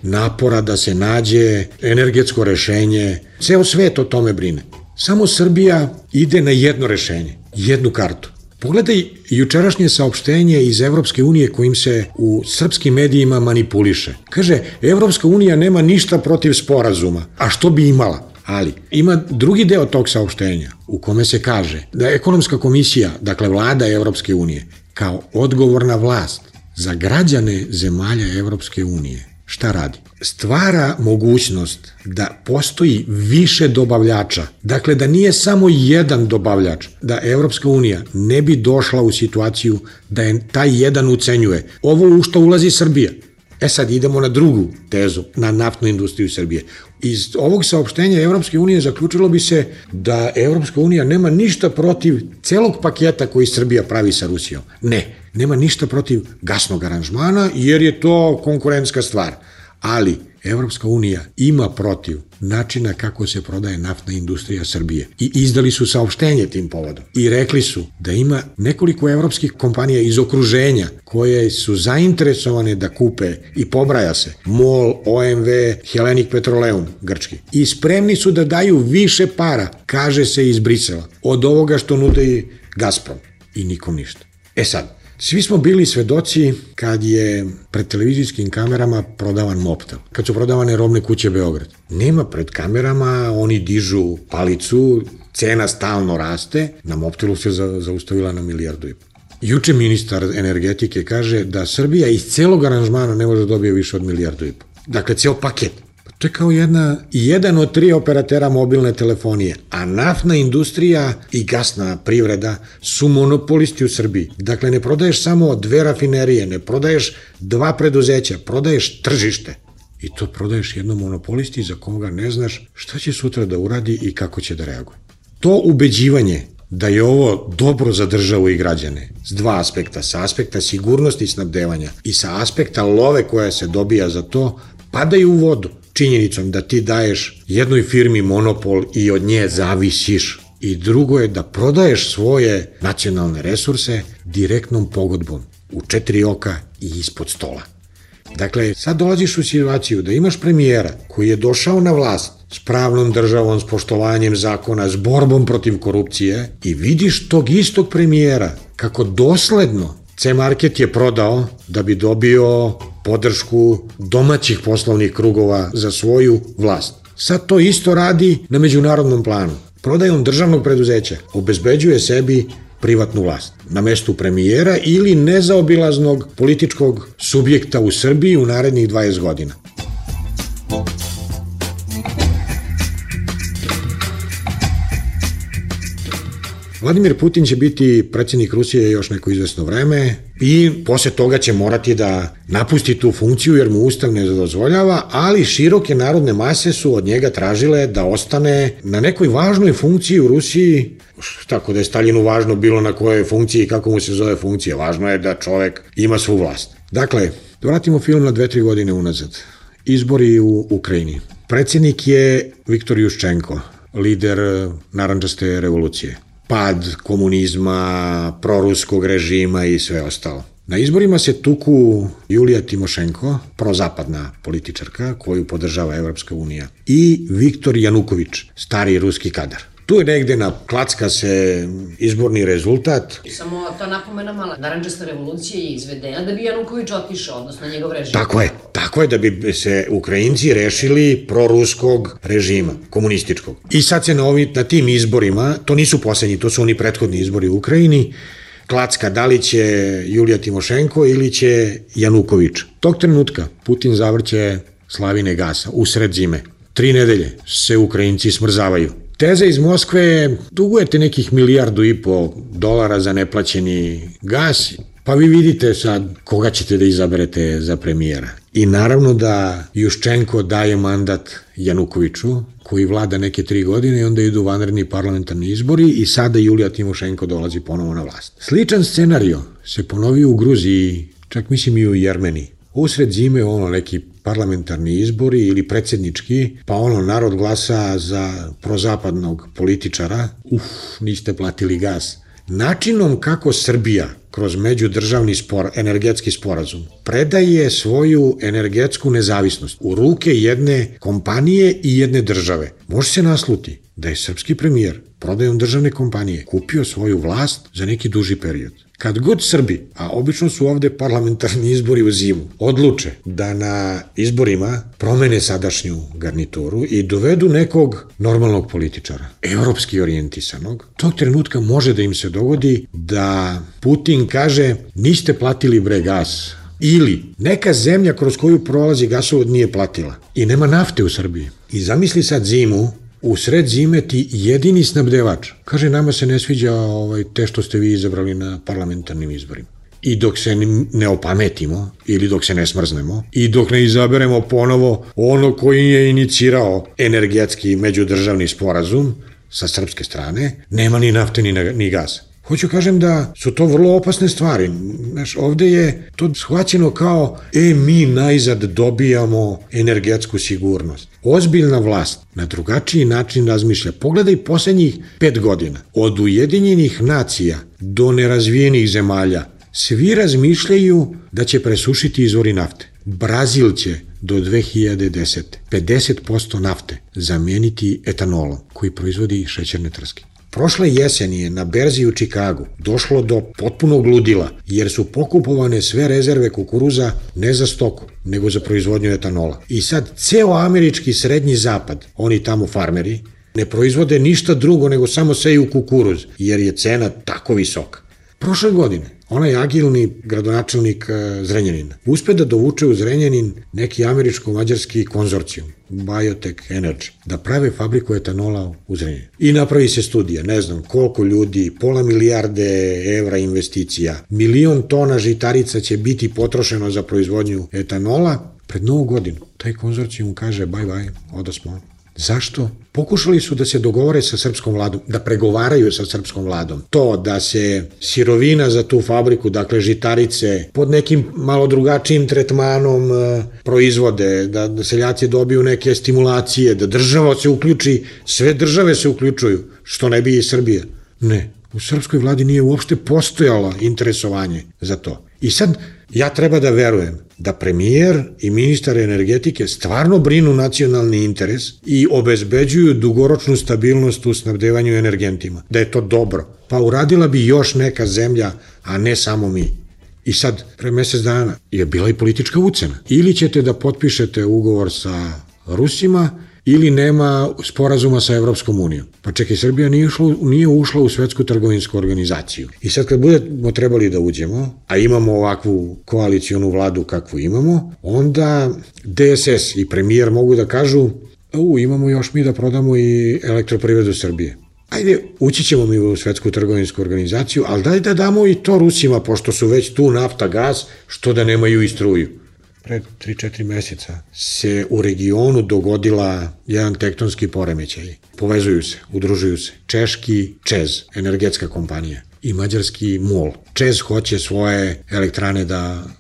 napora da se nađe energetsko rešenje. Ceo svet o tome brine. Samo Srbija ide na jedno rešenje, jednu kartu. Pogledaj jučerašnje saopštenje iz Evropske unije kojim se u srpskim medijima manipuliše. Kaže, Evropska unija nema ništa protiv sporazuma, a što bi imala? Ali ima drugi deo tog saopštenja u kome se kaže da ekonomska komisija, dakle vlada Evropske unije, kao odgovorna vlast za građane zemalja Evropske unije, šta radi? Stvara mogućnost da postoji više dobavljača, dakle da nije samo jedan dobavljač, da Evropska unija ne bi došla u situaciju da je taj jedan ucenjuje. Ovo u što ulazi Srbija. Sad idemo na drugu tezu, na naftnu industriju Srbije. Iz ovog saopštenja Evropske unije zaključilo bi se da Evropska unija nema ništa protiv celog paketa koji Srbija pravi sa Rusijom. Ne, nema ništa protiv gasnog aranžmana jer je to konkurentska stvar. Ali Evropska unija ima protiv načina kako se prodaje naftna industrija Srbije i izdali su saopštenje tim povodom i rekli su da ima nekoliko evropskih kompanija iz okruženja koje su zainteresovane da kupe i pobraja se MOL, OMV, Hellenic Petroleum, grčki, i spremni su da daju više para, kaže se iz Brisela, od ovoga što nude Gazprom i nikom ništa. Sad, svi smo bili svedoci kad je pred televizijskim kamerama prodavan Mobtel, kad su prodavane robne kuće Beograd. Nema pred kamerama, oni dižu palicu, cena stalno raste, na Mobtelu se zaustavila na 1,5 milijardu. Juče ministar energetike kaže da Srbija iz celog aranžmana ne može dobije više od 1,5 milijardu. Dakle, ceo paket. To je kao jedan od 3 operatera mobilne telefonije, a naftna industrija i gasna privreda su monopolisti u Srbiji. Dakle, ne prodaješ samo 2 rafinerije, ne prodaješ 2 preduzeća, prodaješ tržište. I to prodaješ jednom monopolisti za koga ne znaš šta će sutra da uradi i kako će da reaguje. To ubeđivanje da je ovo dobro za državu i građane s 2 aspekta, sa aspekta sigurnosti snabdevanja i sa aspekta love koja se dobija za to, padaju u vodu činjenicom da ti daješ jednoj firmi monopol i od nje zavisiš. I drugo je da prodaješ svoje nacionalne resurse direktnom pogodbom u 4 oka i ispod stola. Dakle, sad dolaziš u situaciju da imaš premijera koji je došao na vlast s pravnom državom, s poštovanjem zakona, s borbom protiv korupcije i vidiš tog istog premijera kako dosledno C-Market je prodao da bi dobio podršku domaćih poslovnih krugova za svoju vlast. Sad to isto radi na međunarodnom planu. Prodajom državnog preduzeća obezbeđuje sebi privatnu vlast na mestu premijera ili nezaobilaznog političkog subjekta u Srbiji u narednih 20 godina. Vladimir Putin će biti predsjednik Rusije još neko izvesno vreme i posle toga će morati da napusti tu funkciju jer mu Ustav ne dozvoljava, ali široke narodne mase su od njega tražile da ostane na nekoj važnoj funkciji u Rusiji, tako da je Staljinu važno bilo na kojoj funkciji i kako mu se zove funkcija. Važno je da čovek ima svu vlast. Dakle, da vratimo film na 2-3 godine unazad. Izbori u Ukrajini. Predsjednik je Viktor Juščenko, lider narandžaste revolucije. Pad komunizma, proruskog režima i sve ostalo. Na izborima se tuku Julija Timošenko, prozapadna političarka koju podržava Evropska unija, i Viktor Januković, stari ruski kadar. Tu je negde klacka se izborni rezultat. Samo ta napomena mala, narandžasta revolucija je izvedena da bi Januković otišao, odnosno njegov režim. Tako je da bi se Ukrajinci rešili proruskog režima, komunističkog. I sad se na tim izborima, to nisu poslednji, to su oni prethodni izbori u Ukrajini, klacka da li će Julija Timošenko ili će Januković. Tog trenutka Putin zavrće slavine gasa usred zime. 3 nedelje se Ukrajinci smrzavaju. Teza iz Moskve, dugujete nekih $1,5 milijarda za neplaćeni gas, pa vi vidite sad koga ćete da izaberete za premijera. I naravno da Juščenko daje mandat Janukoviću, koji vlada neke 3 godine i onda idu vanredni parlamentarni izbori i sada Julija Timošenko dolazi ponovo na vlast. Sličan scenario se ponovio u Gruziji, čak mislim i u Jermeniji. Usred zime neki parlamentarni izbori ili predsjednički, pa narod glasa za prozapadnog političara, niste platili gas. Načinom kako Srbija kroz međudržavni energetski sporazum predaje svoju energetsku nezavisnost u ruke jedne kompanije i jedne države, može se nasluti da je srpski premijer prodajom državne kompanije kupio svoju vlast za neki duži period. Kad god Srbi, a obično su ovde parlamentarni izbori u zimu, odluče da na izborima promene sadašnju garnituru i dovedu nekog normalnog političara, evropski orijentisanog, tog trenutka može da im se dogodi da Putin kaže niste platili gas, ili neka zemlja kroz koju prolazi gasovod nije platila i nema nafte u Srbiji. I zamisli sad zimu, u sred zime ti jedini snabdevač kaže nama se ne sviđa te što ste vi izabrali na parlamentarnim izborima. I dok se ne opametimo ili dok se ne smrznemo i dok ne izaberemo ponovo koji je inicirao energetski međudržavni sporazum sa srpske strane, nema ni nafte ni gasa. Hoću kažem da su to vrlo opasne stvari. Ovde je to shvaćeno kao mi najzad dobijamo energetsku sigurnost. Ozbiljna vlast na drugačiji način razmišlja. Pogledaj poslednjih 5 godina. Od Ujedinjenih nacija do nerazvijenih zemalja svi razmišljaju da će presušiti izvori nafte. Brazil će do 2010. 50% nafte zameniti etanolom koji proizvodi šećerne trske. Prošle jeseni je na berzi u Čikagu došlo do potpunog ludila, jer su pokupovane sve rezerve kukuruza ne za stoku, nego za proizvodnju etanola. I sad ceo američki srednji zapad, oni tamo farmeri, ne proizvode ništa drugo nego samo seju kukuruz, jer je cena tako visoka. Prošle godine onaj agilni gradonačelnik Zrenjanina, uspe da dovuče u Zrenjanin neki američko-mađarski konzorcijum, Biotech Energy, da prave fabriku etanola u Zrenjaninu. I napravi se studija, ne znam koliko ljudi, pola milijarde evra investicija, 1.000.000 tona žitarica će biti potrošeno za proizvodnju etanola. Pred Novu godinu taj konzorcijum kaže bye, odosmo. Zašto? Pokušali su da se dogovore sa srpskom vladom, da pregovaraju sa srpskom vladom. To da se sirovina za tu fabriku, dakle žitarice, pod nekim malo drugačijim tretmanom proizvode, da seljaci dobiju neke stimulacije, da država se uključi, sve države se uključuju, što ne bi i Srbija. Ne, u srpskoj vladi nije uopšte postojalo interesovanje za to. I sad ja treba da verujem da premijer i ministar energetike stvarno brinu nacionalni interes i obezbeđuju dugoročnu stabilnost u snabdevanju energentima. Da je to dobro. Pa uradila bi još neka zemlja, a ne samo mi. I sad, pre mesec dana je bila i politička ucena. Ili ćete da potpišete ugovor sa Rusima, ili nema sporazuma sa Evropskom unijom. Pa čekaj, Srbija nije ušla u Svetsku trgovinsku organizaciju. I sad kad budemo trebali da uđemo, a imamo ovakvu koalicijonu vladu kakvu imamo, onda DSS i premijer mogu da kažu imamo još mi da prodamo i Elektroprivredu Srbije. Ajde, ući ćemo mi u Svetsku trgovinsku organizaciju, ali daj da damo i to Rusima, pošto su već tu nafta, gas, što da nemaju i struju. Pred 3-4 meseca se u regionu dogodila jedan tektonski poremećaj. Povezuju se, udružuju se. Češki ČEZ, energetska kompanija, i mađarski MOL. ČEZ hoće svoje elektrane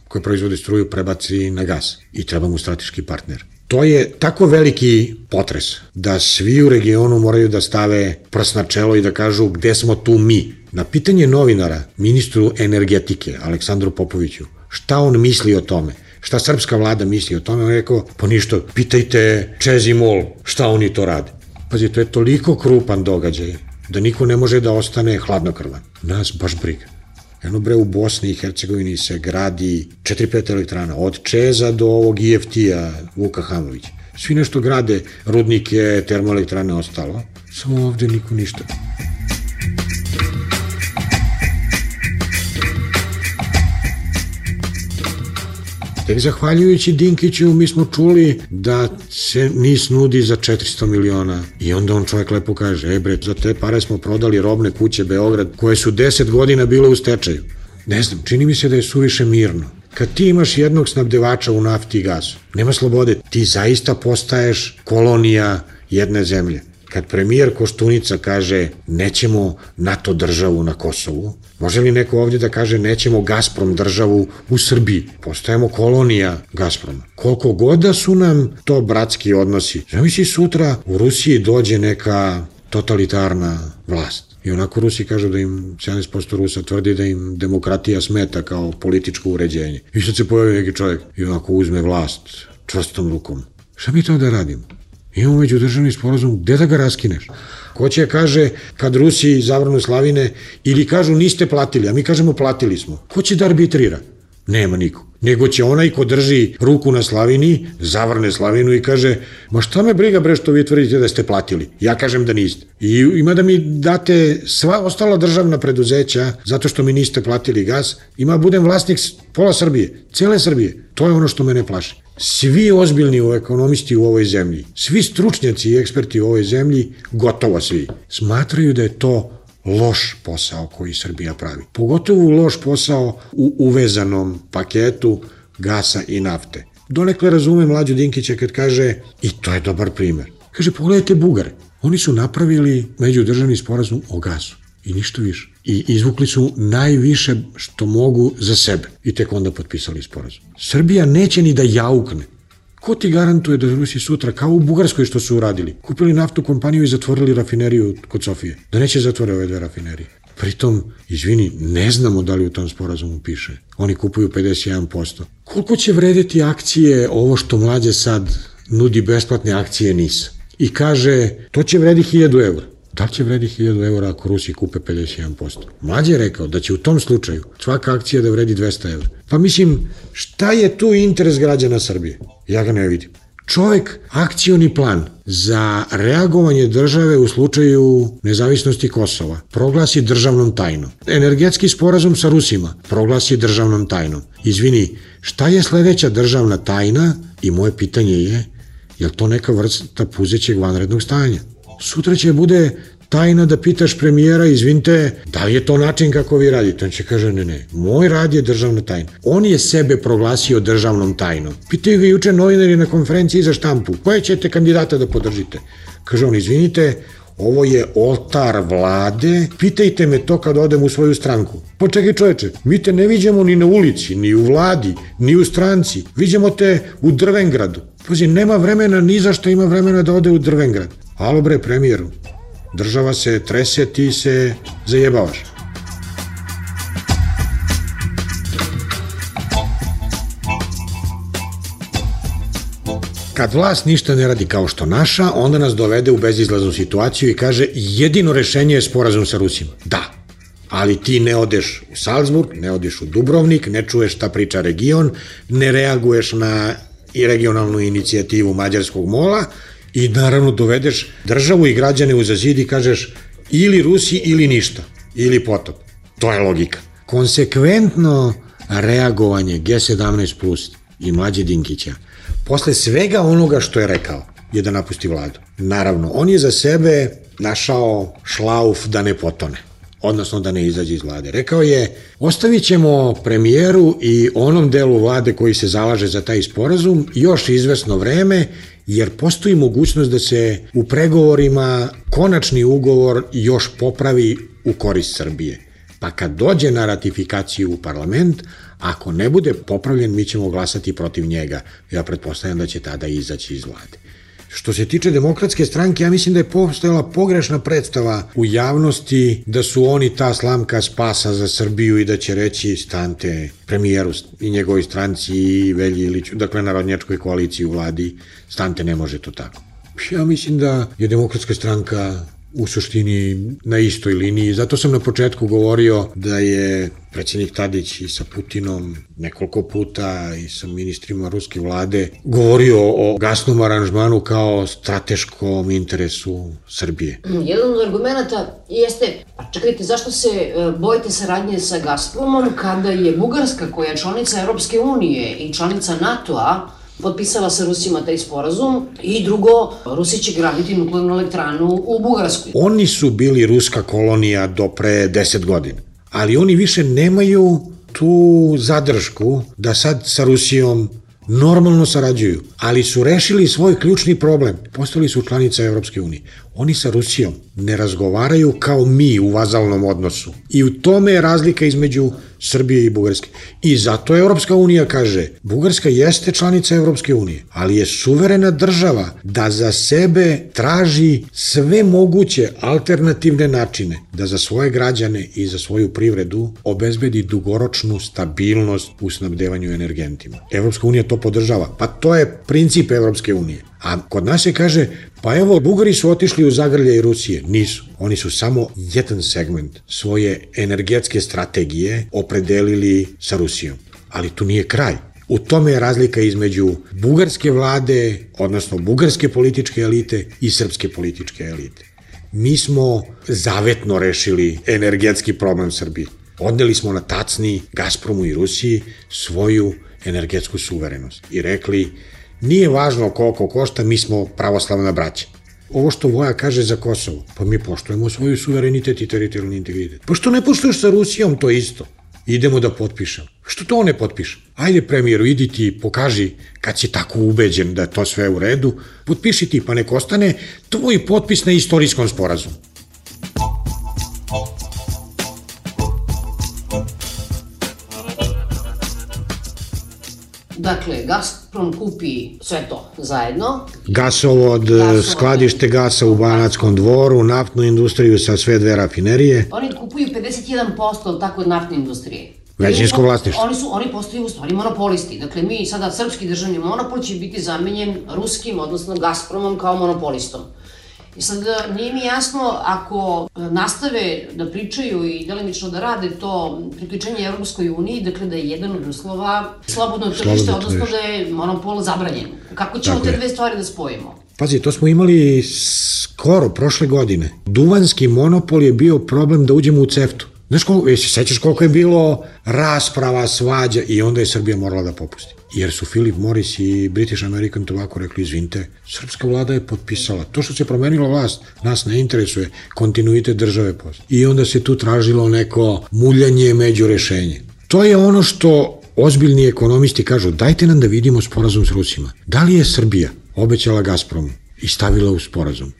koje proizvode struju prebaci na gas i treba mu strateški partner. To je tako veliki potres da svi u regionu moraju da stave prst na čelo i da kažu gde smo tu mi. Na pitanje novinara, ministru energetike, Aleksandru Popoviću, šta on misli o tome, šta srpska vlada misli o tome, on je rekao, pa ništa, pitajte ČEZ i MOL, šta oni to rade. Pazi, to je toliko krupan događaj da niko ne može da ostane hladnokrvan. Nas baš briga. Eno bre, u Bosni i Hercegovini se gradi 4-5 elektrana, od ČEZ-a do ovog IFT-a Vuka Hamovića. Svi nešto grade, rudnike, termoelektrane, ostalo, samo ovde niko ništa. Tek zahvaljujući Dinkiću mi smo čuli da se NIS nudi za 400 miliona i onda on čovjek lepo kaže, bre, za te pare smo prodali robne kuće Beograd koje su 10 godina bile u stečaju. Ne znam, čini mi se da je suviše mirno. Kad ti imaš jednog snabdevača u nafti i gasu, nema slobode, ti zaista postaješ kolonija jedne zemlje. Kad premijer Koštunica kaže nećemo NATO državu na Kosovu, može li neko ovdje da kaže nećemo Gazprom državu u Srbiji? Postajemo kolonija Gazproma. Koliko god da su nam to bratski odnosi, zamisli sutra u Rusiji dođe neka totalitarna vlast. I onako Rusi kažu da im 70% Rusa tvrdi da im demokratija smeta kao političko uređenje. I sad se pojavi neki čovjek i onako uzme vlast čvrstom rukom. Šta mi to da radimo? Imamo međudržavni sporazum, gde da ga raskineš? Ko će kaže kad Rusi zavrnu slavine ili kažu niste platili, a mi kažemo platili smo. Ko će da arbitrira? Nema niko. Nego će onaj ko drži ruku na slavini, zavrne slavinu i kaže ma šta me briga bre što vi tvrdite da ste platili? Ja kažem da niste. I ima da mi date sva ostala državna preduzeća zato što mi niste platili gas, ima budem vlasnik pola Srbije, cele Srbije. To je ono što mene plaši. Svi ozbiljni ekonomisti u ovoj zemlji, svi stručnjaci i eksperti u ovoj zemlji, gotovo svi, smatraju da je to loš posao koji Srbija pravi. Pogotovo loš posao u uvezanom paketu gasa i nafte. Donekle razume Mlađu Dinkića kad kaže, i to je dobar primer, kaže pogledajte Bugare, oni su napravili međudržavni sporazum o gasu i ništa više. I izvukli su najviše što mogu za sebe i tek onda potpisali sporazum. Srbija neće ni da jaukne. Ko ti garantuje da Rusi sutra, kao u Bugarskoj što su uradili, kupili naftu kompaniju i zatvorili rafineriju kod Sofije, da neće zatvore ove dve rafinerije. Pritom, izvini, ne znamo da li u tom sporazumu piše. Oni kupuju 51%. Koliko će vredeti akcije ovo što Mlađe sad nudi besplatne akcije NIS? I kaže, to će vredi 1000 eura. Da li će vredi 1000 eura ako Rusi kupe 51%? Mlađe je rekao da će u tom slučaju svaka akcija da vredi 200 eura. Pa mislim, šta je tu interes građana Srbije? Ja ga ne vidim. Čovek akcioni plan za reagovanje države u slučaju nezavisnosti Kosova proglasi državnom tajnom. Energetski sporazum sa Rusima proglasi državnom tajnom. Izvini, šta je sledeća državna tajna? I moje pitanje je li to neka vrsta puzećeg vanrednog stanja? Sutra će bude tajna da pitaš premijera, izvinite, da li je to način kako vi radite? On će kaže, ne, moj rad je državna tajna. On je sebe proglasio državnom tajnom. Pitaju ga juče novinari na konferenciji za štampu, koje ćete kandidata da podržite? Kaže on, izvinite, ovo je oltar vlade, pitajte me to kad odem u svoju stranku. Pa čekaj čoveče, mi te ne viđamo ni na ulici, ni u vladi, ni u stranci, viđamo te u Drvengradu. Pazi, nema vremena, ni za što ima vremena da ode u Drvengrad. Alo bre, premijeru, država se trese, ti se zajebavaš. Kad vlast ništa ne radi kao što naša, onda nas dovede u bezizlaznu situaciju i kaže jedino rešenje je sporazum sa Rusima. Da, ali ti ne odeš u Salzburg, ne odeš u Dubrovnik, ne čuješ šta priča region, ne reaguješ na i regionalnu inicijativu Mađarskog mola i naravno dovedeš državu i građane uza zid i kažeš ili Rusi ili ništa, ili potop. To je logika. Konsekventno reagovanje G17+ i Mlađe Dinkića posle svega onoga što je rekao je da napusti vladu. Naravno, on je za sebe našao šlauf da ne potone, odnosno da ne izađe iz vlade. Rekao je, ostavit ćemo premijeru i onom delu vlade koji se zalaže za taj sporazum još izvesno vreme, jer postoji mogućnost da se u pregovorima konačni ugovor još popravi u korist Srbije. Pa kad dođe na ratifikaciju u parlament, ako ne bude popravljen, mi ćemo glasati protiv njega. Ja pretpostavljam da će tada izaći iz vlade. Što se tiče Demokratske stranke, ja mislim da je postojala pogrešna predstava u javnosti da su oni ta slamka spasa za Srbiju i da će reći stante premijeru i njegovoj stranci i Velji Iliću, dakle narodnjačkoj koaliciji u vladi, stante, ne može to tako. Ja mislim da je Demokratska stranka u suštini na istoj liniji. Zato sam na početku govorio da je predsjednik Tadić i sa Putinom nekoliko puta i sa ministrima ruske vlade govorio o gasnom aranžmanu kao strateškom interesu Srbije. Jedan od argumenta jeste, pa čekajte, zašto se bojite saradnje sa Gazpromom kada je Bugarska, koja je članica Europske unije i članica NATO-a, potpisala sa Rusima taj sporazum i drugo, Rusi će graditi nuklearnu elektranu u Bugarskoj. Oni su bili ruska kolonija do pre 10 godina, ali oni više nemaju tu zadršku da sad sa Rusijom normalno sarađuju, ali su rešili svoj ključni problem. Postali su članica Evropske unije. Oni sa Rusijom ne razgovaraju kao mi u vazalnom odnosu. I u tome je razlika između Srbije i Bugarske. I zato Evropska unija kaže, Bugarska jeste članica Evropske unije, ali je suverena država da za sebe traži sve moguće alternativne načine da za svoje građane i za svoju privredu obezbedi dugoročnu stabilnost u snabdevanju energentima. Evropska unija to podržava. Pa to je princip Evropske unije. A kod nas se kaže, pa evo, Bugari su otišli u zagrljaj Rusije. Nisu. Oni su samo jedan segment svoje energetske strategije opredelili sa Rusijom. Ali tu nije kraj. U tome je razlika između bugarske vlade, odnosno bugarske političke elite i srpske političke elite. Mi smo zavetno rešili energetski problem Srbije. Odneli smo na tacni Gazpromu i Rusiji svoju energetsku suverenost i rekli, nije važno koliko košta, mi smo pravoslavna braća. Ovo što Voja kaže za Kosovo, pa mi poštujemo svoju suverenitet i teritorijalni integritet. Pa što ne poštuješ sa Rusijom, to isto. Idemo da potpišemo. Što to ne potpišem? Ajde premijeru, idi ti, pokaži kad si tako ubeđen da je to sve u redu, potpiši ti, pa nek ostane tvoj potpis na istorijskom sporazumu. Dakle, Gazprom kupi sve to zajedno. Gasovod, skladište gasa u Banatskom Dvoru, naftnu industriju sa sve dve rafinerije. Oni kupuju 51% tako od naftne industrije. Većinsko vlasništvo. Oni postaju u stvari monopolisti. Dakle, mi sada srpski državni monopol će biti zamenjen ruskim, odnosno Gazpromom kao monopolistom. I sad nije mi jasno ako nastave da pričaju i delimično da rade to priključenje Evropskoj uniji, dakle da je jedan od uslova slobodno tržište, odnosno da je monopol zabranjen. Kako ćemo te dve stvari da spojimo? Pazi, to smo imali skoro prošle godine. Duvanski monopol je bio problem da uđemo u CEFTA. Znaš koliko, jesi sećaš koliko je bilo rasprava, svađa i onda je Srbija morala da popusti. Jer su Philip Morris i British American Tobacco rekli, izvinite, srpska vlada je potpisala. To što se promenila vlast, nas ne interesuje, kontinuitet države postoji. I onda se tu tražilo neko muljanje među rešenje. To je ono što ozbiljni ekonomisti kažu, dajte nam da vidimo sporazum s Rusima. Da li je Srbija obećala Gazpromu i stavila u sporazum,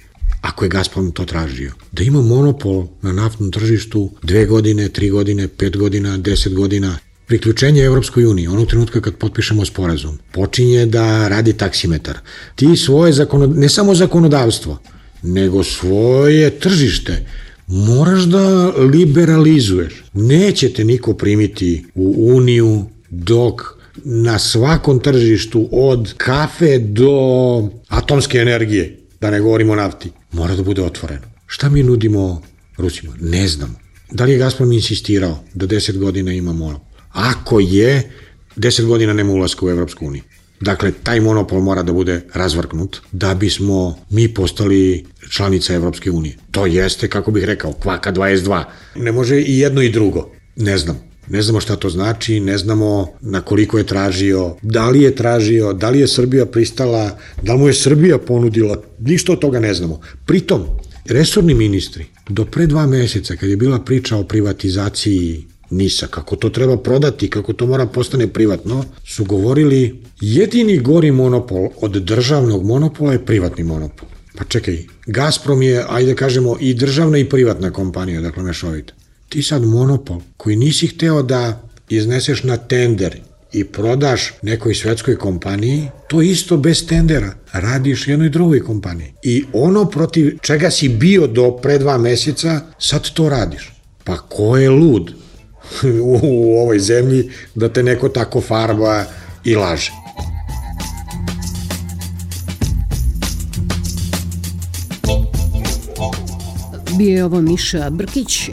ako je Gazprom to tražio, da ima monopol na naftnom tržištu 2 godine, 3 godine, 5 godina, 10 godina, priključenje Evropskoj uniji, onog trenutka kad potpišemo sporazum, počinje da radi taksimetar. Ti svoje, ne samo zakonodavstvo, nego svoje tržište, moraš da liberalizuješ. Neće te niko primiti u uniju dok na svakom tržištu od kafe do atomske energije, da ne govorimo o nafti, mora da bude otvoreno. Šta mi nudimo Rusima? Ne znam. Da li je Gazprom insistirao da 10 godina ima monopol? Ako je, 10 godina nema ulaska u Evropsku uniju. Dakle, taj monopol mora da bude razvrgnut da bismo mi postali članica Evropske unije. To jeste, kako bih rekao, kvaka 22. Ne može i jedno i drugo. Ne znam. Ne znamo šta to znači, ne znamo na koliko je tražio, da li je Srbija pristala, da li mu je Srbija ponudila, ništa od toga ne znamo. Pritom, resorni ministri, do pre 2 meseca, kad je bila priča o privatizaciji NIS-a, kako to treba prodati, kako to mora postane privatno, su govorili jedini gori monopol od državnog monopola je privatni monopol. Pa čekaj, Gazprom je, ajde kažemo, i državna i privatna kompanija, dakle mešovita. Ti sad monopol koji nisi hteo da izneseš na tender i prodaš nekoj svetskoj kompaniji, to isto bez tendera radiš jednoj drugoj kompaniji. I ono protiv čega si bio do pre 2 meseca, sad to radiš. Pa ko je lud u ovoj zemlji da te neko tako farba i laže? Bio je ovo Miša Brkić.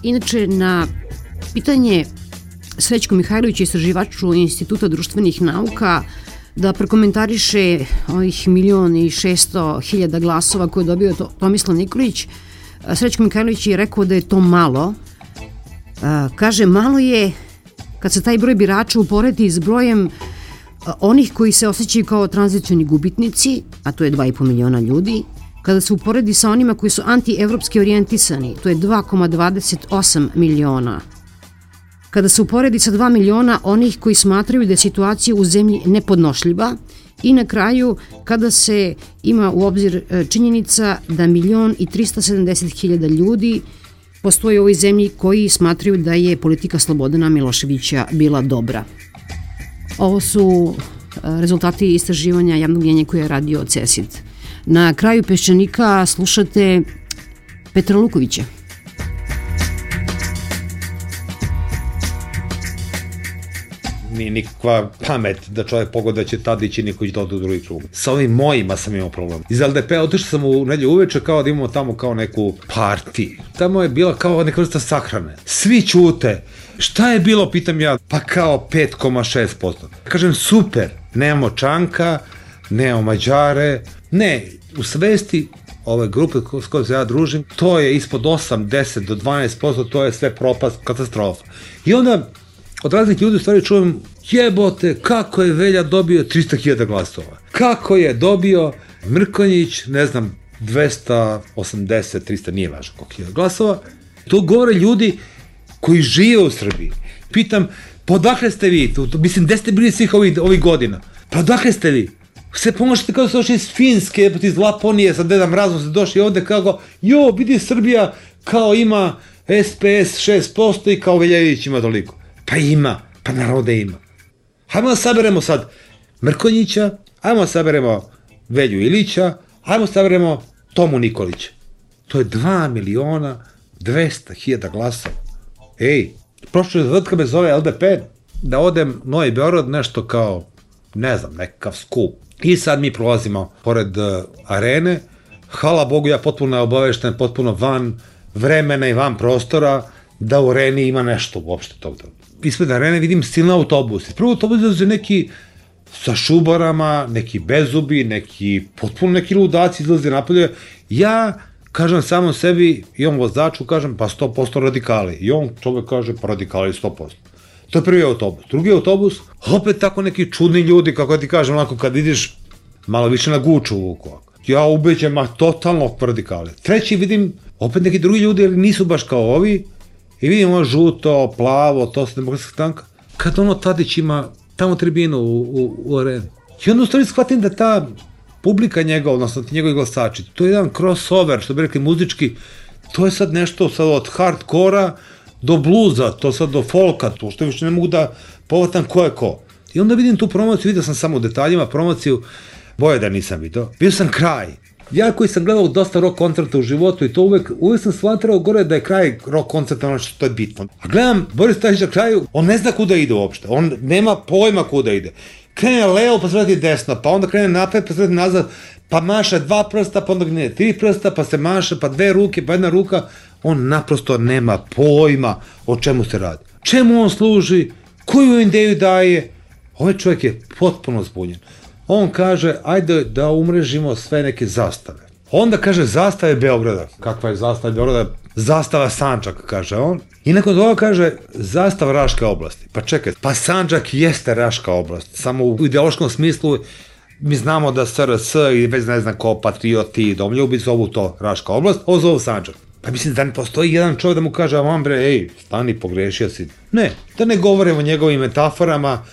Inače, na pitanje Srećko Mihajlovića, istraživaču Instituta društvenih nauka, da prokomentariše ovih 1.600.000 glasova koje je dobio Tomislav Nikolić, Srećko Mihajlović je rekao da je to malo. Kaže, malo je kad se taj broj birača uporedi s brojem onih koji se osjećaju kao tranzicioni gubitnici, a to je 2,5 miliona ljudi, kada se uporedi sa onima koji su anti-evropski orijentisani, to je 2,28 miliona. Kada se uporedi sa 2 miliona onih koji smatraju da je situacija u zemlji nepodnošljiva i na kraju kada se ima u obzir činjenica da 1.370.000 ljudi postoji u ovoj zemlji koji smatraju da je politika Slobodana Miloševića bila dobra. Ovo su rezultati istraživanja javnog mnjenja koje je radio CESID. Na kraju Peščanika slušate Petra Lukovića. Nije nikakva pamet da čovjek pogleda da će Tadić i Nikolić da odu u drugi krug. Sa ovim mojima sam imao problem. Iz LDP-a otišao sam u nedjelju uveče kao da imamo tamo kao neku parti. Tamo je bila kao neka vrsta sahrane. Svi ćute. Šta je bilo, pitam ja, pa kao 5,6%. Kažem, super, nemamo Čanka, nemamo Mađare, ne, u svesti ove grupe s kojom se ja družim, to je ispod 8, 10 do 12%, to je sve propast, katastrofa. I onda od raznih ljudi u stvari čujem, jebote, kako je Velja dobio 300.000 glasova. Kako je dobio Mrkonjić, ne znam, 280, 300, nije važno koliko je glasova. To govore ljudi koji žive u Srbiji. Pitam, pa odakle ste vi? Mislim, gde ste bili svih ovih godina? Pa odakle ste vi? Sve pomožete kao da ste došli iz Finske, iz Laponije, sa Deda Mrazom ste došli ovde kao, jo, vidi Srbija kao ima SPS 6% i kao Veljević ima toliko. Pa ima, pa naravno da ima. Hajmo da saberemo sad Mrkonjića, hajmo da saberemo Velju Ilića, hajmo da saberemo Tomu Nikolića. To je 2.200.000 glasova. Ej, prošlo je zadatka me zove LDP da odem Novi Beograd nešto kao, ne znam, nekakav skup. I sad mi prolazimo pored arene hvala Bogu, ja potpuno obavešten, potpuno van vremena i van prostora, da u areni ima nešto uopšte toga. Ispred arene vidim silne autobuse. Prvo autobus dolaze neki sa šubarama, neki bezubi, potpuno neki ludaci izlaze napolje. Ja kažem samom sebi i on vozaču kažem pa 100% radikali. I on čovek kaže pa radikali 100%. To je prvi autobus. Drugi autobus, opet tako neki čudni ljudi, kako ti kažem, onako kad vidiš malo više na guču vuku. Ja ubeđem, ma totalno radikali. Treći vidim, opet neki drugi ljudi, ali nisu baš kao ovi. I vidim ovo žuto, plavo, to se demokratska stranka. Kad ono Tadić ima tamo tribinu u areni. I onda u stvari shvatim da ta publika njega, odnosno ti njegovi glasači, to je jedan crossover, što bi rekli muzički, to je sad nešto sad od hardkora do bluza, to sad do folka, to što više ne mogu da povatam ko je ko. I onda vidim tu promociju, vidio sam samo u detaljima promociju, boje da nisam vidio. Vidio sam kraj. Ja koji sam gledao dosta rock koncerta u životu i to uvek sam shvatrao gore da je kraj rock koncerta ono što je bitno. A gledam Boris Tadić na kraju, on ne zna kuda ide uopšte, on nema pojma kuda ide. Krene levo pa se vrati desno, pa onda krene napred pa se vrati nazad, pa maše 2 prsta, pa onda ne 3 prsta, pa se maše, pa 2 ruke, pa 1 ruka. On naprosto nema pojma o čemu se radi. Čemu on služi, koju ideju daje. Ovaj čovjek je potpuno zbunjen. On kaže, ajde da umrežimo sve neke zastave. Onda kaže, zastave Beograda. Kakva je zastava Beograda? Zastava Sandžaka, kaže on. I nakon toga kaže, zastava Raške oblasti. Pa čekaj, pa Sandžak jeste Raška oblast. Samo u ideološkom smislu mi znamo da SRS i već ne znam ko, patrioti i domljubi zovu to Raška oblast, ovo zovu Sandžak. Pa mislim da ne postoji jedan čovjek da mu kaže, a vam bre, ej, stani, pogrešio si. Ne, da ne govorimo o njegovim metaforama.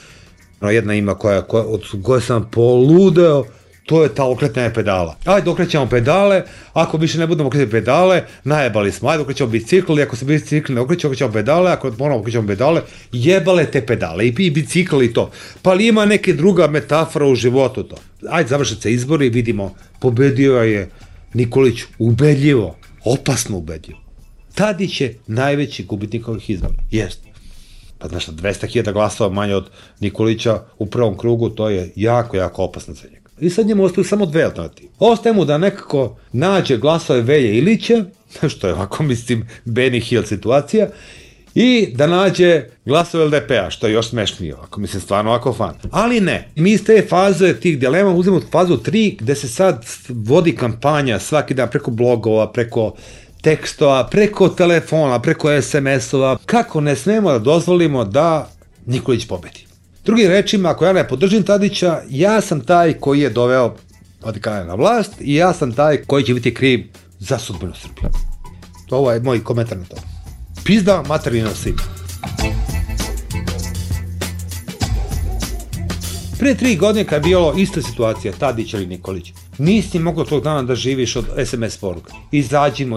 Jedna ima od koje sam poludeo, to je ta okretanje pedala. Ajde, okrećemo pedale, ako više ne budemo okretati pedale, najebali smo, ajde, okrećemo bicikl, ako se bicikl ne okrećemo pedale, ako moramo okrećemo pedale, jebale te pedale, i bicikl i to. Pa li ima neke druga metafora u životu to? Ajde, završat se izbori i vidimo, pobedio je Nikolić ubedljivo, opasno ubedljivo. Tadić je najveći gubitnik ovih izbora, jeste. Pa znaš, 200.000 glasova manje od Nikolića u prvom krugu, to je jako, jako opasno za njega. I sad njemu ostaju samo 2 alternative. Ostaje mu da nekako nađe glasove Velje Ilića, što je ovako, mislim, Benny Hill situacija, i da nađe glasove LDP-a, što je još smešnije, ovako, mislim, stvarno ovako fan. Ali ne, mi iz te faze tih dilema uzmemo fazu 3, gde se sad vodi kampanja svaki dan preko blogova, preko tekstova, preko telefona, preko SMS-ova, kako ne smemo da dozvolimo da Nikolić pobedi. Drugim rečima, ako ja ne podržim Tadića, ja sam taj koji je doveo radikale na vlast i ja sam taj koji će biti kriv za sudbinu Srbije. Ovo je moj komentar na to. Pizda materina svima. Pre 3 godine kad je bilo ista situacija, Tadić ili Nikolić, nisi mogao tog dana da živiš od SMS poruka. Izađimo,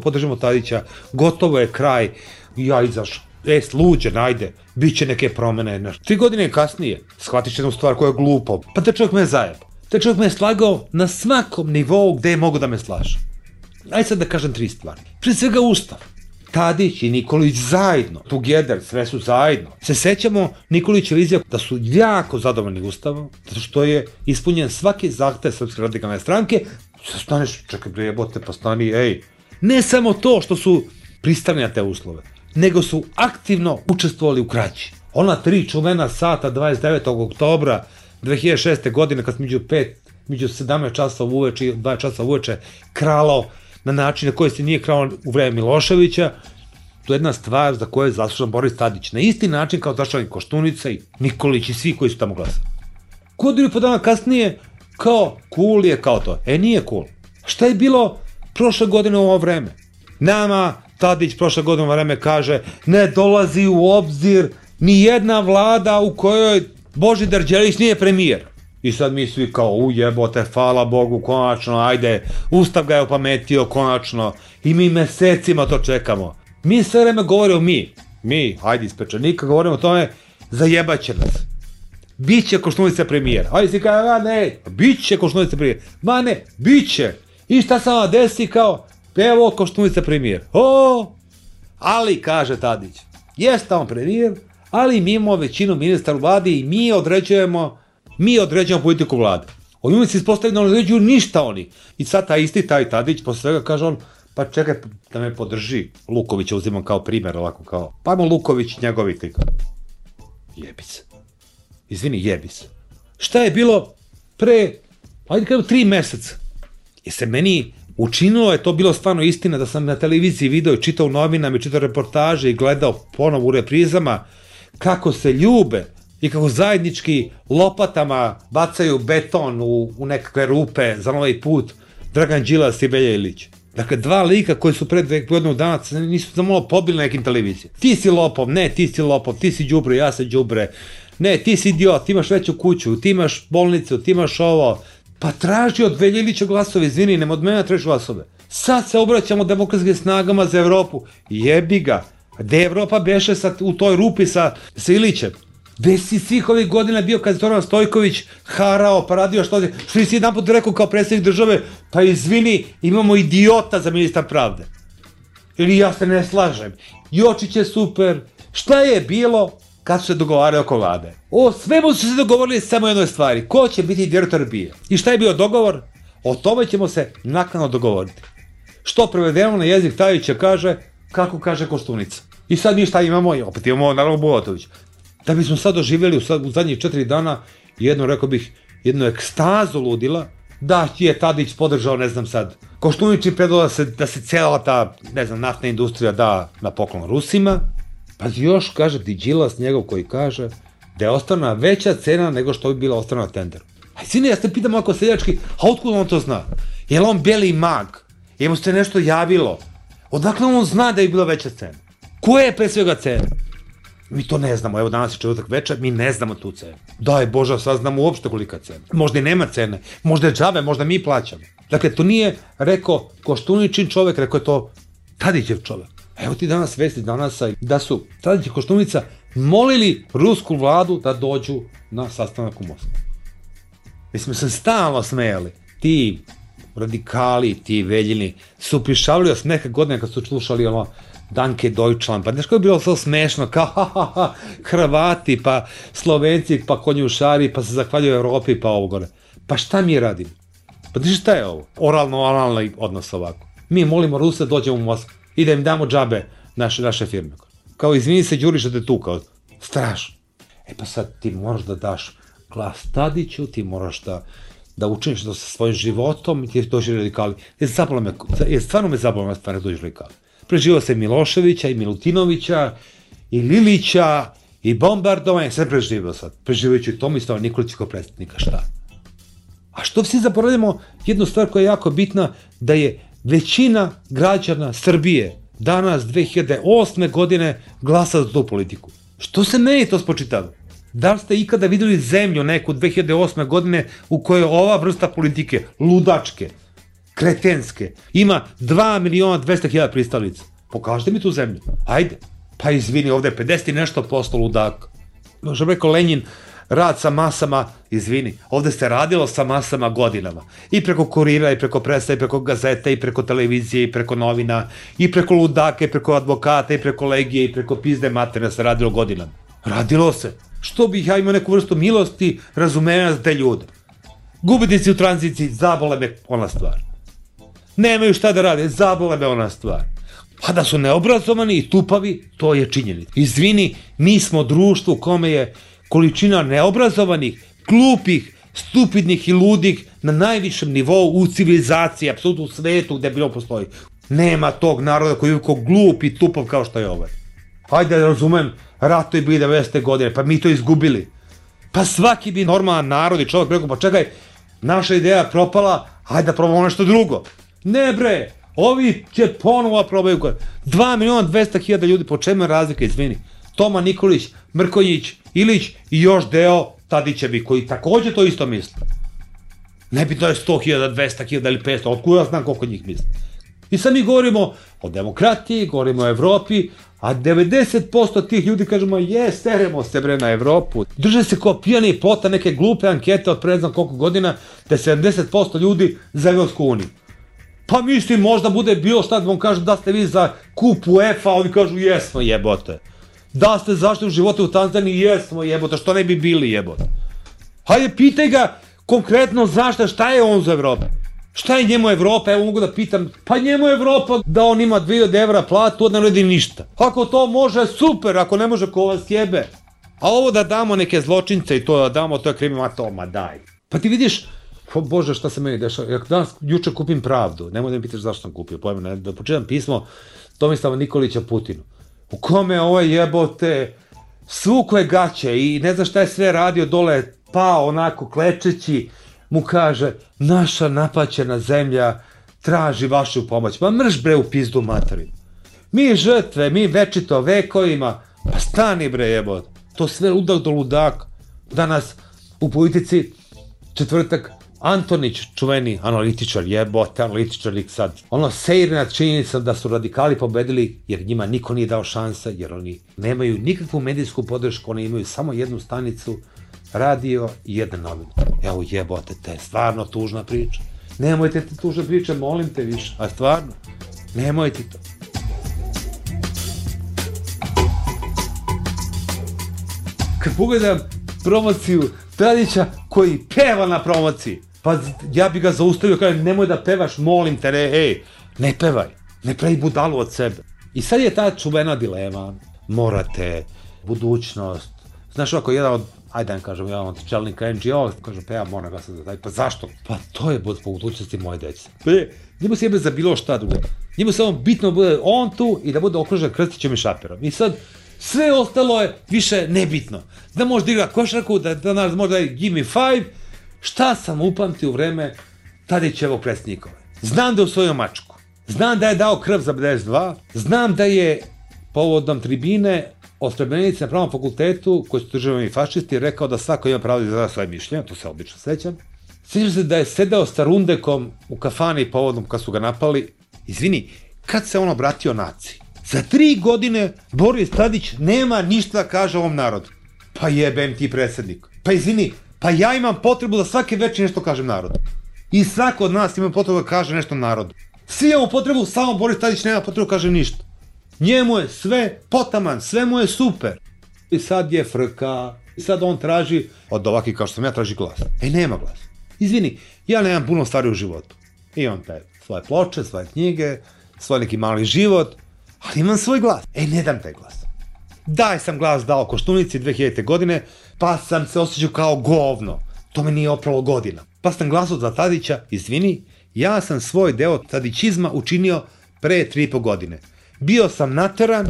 podržimo Tadića, gotovo je kraj, ja izašao. Sluđen, ajde, bit će neke promene. 3 godine kasnije, shvatiš jednu stvar koja je glupo, pa te čovjek me zajebao. Te čovjek me je slagao na svakom nivou gde je mogo da me slaže. Ajde sad da kažem 3 stvari. Prije svega Ustav. Tadić i Nikolić zajedno, together, sve su zajedno. Se sećamo Nikolića izjava da su jako zadovoljni Ustavom, zato što je ispunjen svaki zahtev Srpske radikalne stranke. Sad staneš, čekaj bre jebote, pa stani, ej. Ne samo to što su pristali na te uslove, nego su aktivno učestvovali u krađi. Ona 3 čuvena sata 29. oktobra 2006. godine kad među 17 časova uveče i 2 časa uveče kralo na način na koji se nije kralo u vreme Miloševića, to je jedna stvar za koju je zaslužan Boris Tadić. Na isti način kao zaslužan Koštunica i Nikolić i svi koji su tamo glasali. Godinu i po dana kasnije, kao cool je kao to. Nije cool. Šta je bilo prošle godine u ovo vreme? Nama Tadić prošle godine u ovo vreme kaže ne dolazi u obzir ni jedna vlada u kojoj Božidar Đelić nije premijer. I sad mi svi kao, ujebote, hvala Bogu, konačno, ajde, Ustav ga je opametio, konačno, i mi mesecima to čekamo. Mi sve vreme govorimo mi, ajde iz Pečanika, govorimo o tome, zajebaće nas. Biće Koštunica premijer. Ajde si kao, ne, biće Koštunica premijer. Ma ne, biće. I šta se vam desi kao, evo Koštunica premijer. Ali, kaže Tadić, jeste on premijer, ali mi imamo većinu ministra u vladi i mi određujemo politiku vlade. Oni se ispostavili da ne određuju ništa oni. I sad taj isti, taj Tadić, posle svega kaže on, pa čekaj da me podrži. Lukovića uzimam kao primer, ovako kao, pa ajmo Luković njegovi tika. Jebi se. Izvini, jebi se. Šta je bilo pre, ajde kažem, 3 meseca? I se meni učinilo, je to bilo stvarno istina, da sam na televiziji video i čitao novinama i čitao reportaže i gledao ponovo u reprizama kako se ljube i kako zajednički lopatama bacaju beton u nekakve rupe za novi put Dragan Đilas i Velja Ilić. Dakle, 2 lika koji su pred godinu dana nisu za malo pobili na nekim televizijama. Ti si lopov, ne, ti si lopov, ti si đubre, ja sam đubre, ne, ti si idiot, ti imaš veću kuću, ti imaš bolnicu, ti imaš ovo. Pa traži od Velja Ilića glasove, izvini, nema od mene traži glasove. Sad se obraćamo demokratskim snagama za Evropu. Jebi ga. Gde je Evropa beše u toj rupi sa Ilićem? Gde si svih ovih godina bio kad je Zoran Stojković harao, pa radio što si jedan put rekao kao predsjednik države, pa izvini, imamo idiota za ministar pravde. Ili ja se ne slažem. Jočić je super. Šta je bilo kad su se dogovarali oko vlade? O svemu su se dogovorili samo jednoj stvari. Ko će biti direktor BIA? I šta je bio dogovor? O tome ćemo se naknadno dogovoriti. Što prevedeno na jezik Tadića kaže, kako kaže Koštunica. I sad mi šta imamo? Opet imamo naravno Bulatović. Da bismo sad doživjeli u zadnjih 4 dana rekao bih, jednu ekstazu ludila, da je Tadić podržao, ne znam sad, Koštunić i predao da se cijela ta, ne znam, naftna industrija da na poklon Rusima, pa još kaže ti Đilas njegov koji kaže da je ostana veća cena nego što bi bila ostana na tenderu. A sine, ja se pitam ovako seljački, a otkud on to zna? Je li on beli mag? Je mu se nešto javilo? Odakle on zna da je bila veća cena? Koja je pre svega cena? Mi to ne znamo, evo danas je četvrtak večer, mi ne znamo tu cenu. Daj Bože, sad znamo uopšte kolika cena. Možda i nema cene, možda je džabe, možda mi plaćamo. Dakle, to nije rekao Koštuničin čovek, rekao je to Tadićev čovek. Evo ti danas vesti da su Tadić i Koštunica molili rusku vladu da dođu na sastanak u Moskvu. Mi smo se stalno smejali. Ti radikali, ti Veljini su prišavili od neke godine kad su slušali ono Danke Deutschland, pa nešto je bilo sve smešno, kao Hrvati, pa Slovenci, pa konjušari, pa se zahvaljuju Evropi, pa ovo gore. Pa šta mi radimo? Pa znaš šta je ovo? Oralno-analni odnos ovako. Mi molimo Rusa da dođemo u Moskvu i da im damo džabe naše firme. Kao izvini se Đuriša te tu, kao strašno. E pa sad ti moraš da daš glas Tadiću, ti moraš da učiniš to sa svojim životom i ti dođe radikali. Stvarno me zabavno na stvari dođe radikali. Preživao se Miloševića i Milutinovića i Lilića i bombardovanje, sve preživao sad. Preživajući Tomislava Nikolića kao predsjednika, šta? A što svi zaboravljamo jednu stvar koja je jako bitna, da je većina građana Srbije danas 2008. godine glasa za tu politiku. Što se meni to spočitava? Da li ste ikada videli zemlju neku 2008. godine u kojoj ova vrsta politike, ludačke, kretenske, ima 2.200.000 pristalica? Pokažite mi tu zemlju. Ajde. Pa izvini, ovde je 50 i nešto posto ludaka. Što bi rekao Lenjin, rad sa masama, izvini, ovde se radilo sa masama godinama. I preko kurira, i preko presa, i preko gazete, i preko televizije, i preko novina, i preko ludaka, i preko advokata, i preko legije, i preko pizde materne se radilo godinama. Radilo se. Što bih ja imao neku vrstu milosti, razumevanja za te ljude. Gubitnici u tranziciji, zabole me ona stvar. Nemaju šta da rade, zabole me ona stvar. A da su neobrazovani i tupavi, to je činjenica. Izvini, mi smo društvo u kome je količina neobrazovanih, glupih, stupidnih i ludih na najvišem nivou u civilizaciji, apsolutno u svetu gde bilo postoji. Nema tog naroda koji je glup i tupav kao što je ovaj. Hajde da razumem, rato je bili 90. godine, pa mi to izgubili. Pa svaki bi normalan narod i čovjek rekao, pa čekaj, naša ideja propala, hajde da probamo nešto drugo. Ne bre, ovi će ponovo probaju. 2.200.000 ljudi, po čemu je razlika, izvini. Toma Nikolić, Mrkonjić, Ilić i još deo Tadićevi, koji takođe to isto misle. Ne bi to je 100.000, 200.000 ili 500, otkud ja znam koliko njih misle. I sad mi govorimo o demokratiji, govorimo o Evropi, a 90% tih ljudi kažemo, seremo se bre na Evropu. Drže se kao pijani i plota neke glupe ankete od pre ne znam koliko godina, da 70% ljudi za Evropsku uniju. Pa mislim, možda bude bilo šta da vam kažu da ste vi za kup UEFA, a oni kažu jesmo jebote. Da ste zašli u živote u Tanzaniji, jesmo jebote, što ne bi bili jebote. Hajde, pitaj ga Konkretno zašto, šta je on za Evropu? Šta je njemu Evropa? Evo mogu da pitam, pa njemu Evropa da on ima 2000 evra platu, ne radi ništa. Ako to može, super, ako ne može, ko vas jebe. A ovo da damo neke zločince i to da damo, to je kriminal, ma daj. Pa ti vidiš, Bože, šta se meni dešava, ja danas juče kupim Pravdu, nemoj da mi pitaš zašto sam kupio, pojma, da počitam pismo Tomislava Nikolića Putinu, u kome ovaj jebote svukle gaće i ne zna šta je sve radio dole, pao onako klečeći, mu kaže, naša napaćena zemlja traži vašu pomoć, pa mrš bre u pizdu materinu. Mi žrtve, mi večito vekovima, pa stani bre jebote, to sve ludak do ludaka. Danas u politici četvrtak Antonić, čuveni analitičar, jebote, analitičarnik sad, ono sejre nad činjenicom da su radikali pobedili jer njima niko nije dao šanse, jer oni nemaju nikakvu medijsku podršku, oni imaju samo jednu stanicu, radio i jedan novin. Evo jebote, te, stvarno tužna priča. Nemojte te tužne priče, molim te više, a stvarno, nemojte to. Kad pogledam promociju Tadića koji peva na promociji, pa ja bi ga zaustavio, kažem, nemoj da pevaš, molim te, ne pevaj, ne pravi budalu od sebe. I sad je ta čuvena dilema, morate, budućnost, znaš ovako, jedan od čelnika NGO, kaže, pa ja moram glasati za taj, pa zašto? Pa to je zbog budućnosti moje dece. Njemu se jebe za bilo šta drugo, njemu samo bitno bude on tu i da bude okružen Krstićem i Šaperom. I sad, sve ostalo je više nebitno. Da može da igra košarku, da nas može da je give me 5, šta sam upamtio u vreme Tadićevog predsjednikove. Znam da je usvojio mačku, znam da je dao krv za 52, znam da je povodom tribine o Srebrenici na Pravnom fakultetu, koji su državni fašisti, rekao da svako ima pravo da izražava svoje mišljenje, to se obično sećam. Sjećam se da je sedeo sa Rundekom u kafani povodom kad su ga napali. Izvini, kad se on obratio naciji? Za 3 godine Boris Tadić nema ništa da kaže ovom narodu. Pa jebem ti predsjednik. Pa izvini, pa ja imam potrebu da svake večer nešto kažem narodu. I svako od nas ima potrebu da kaže nešto narodu. Svi imamo potrebu, samo Boris Tadić nema potrebu da kaže ništa. Njemu je sve potaman, sve mu je super. I sad je frka, i sad on traži, od ovakvih kao što sam ja, traži glas. Nema glas. Izvini, ja nemam puno stvari u životu. Imam te svoje ploče, svoje knjige, svoj neki mali život, ali imam svoj glas. Ne dam taj glas. Daj sam glas dao Koštunici 2000. godine, pa sam se osjećao kao govno. To me nije opralo godina. Pa sam glasao za Tadića, izvini, ja sam svoj deo tadićizma učinio pre 3,5 godine. Bio sam nateran,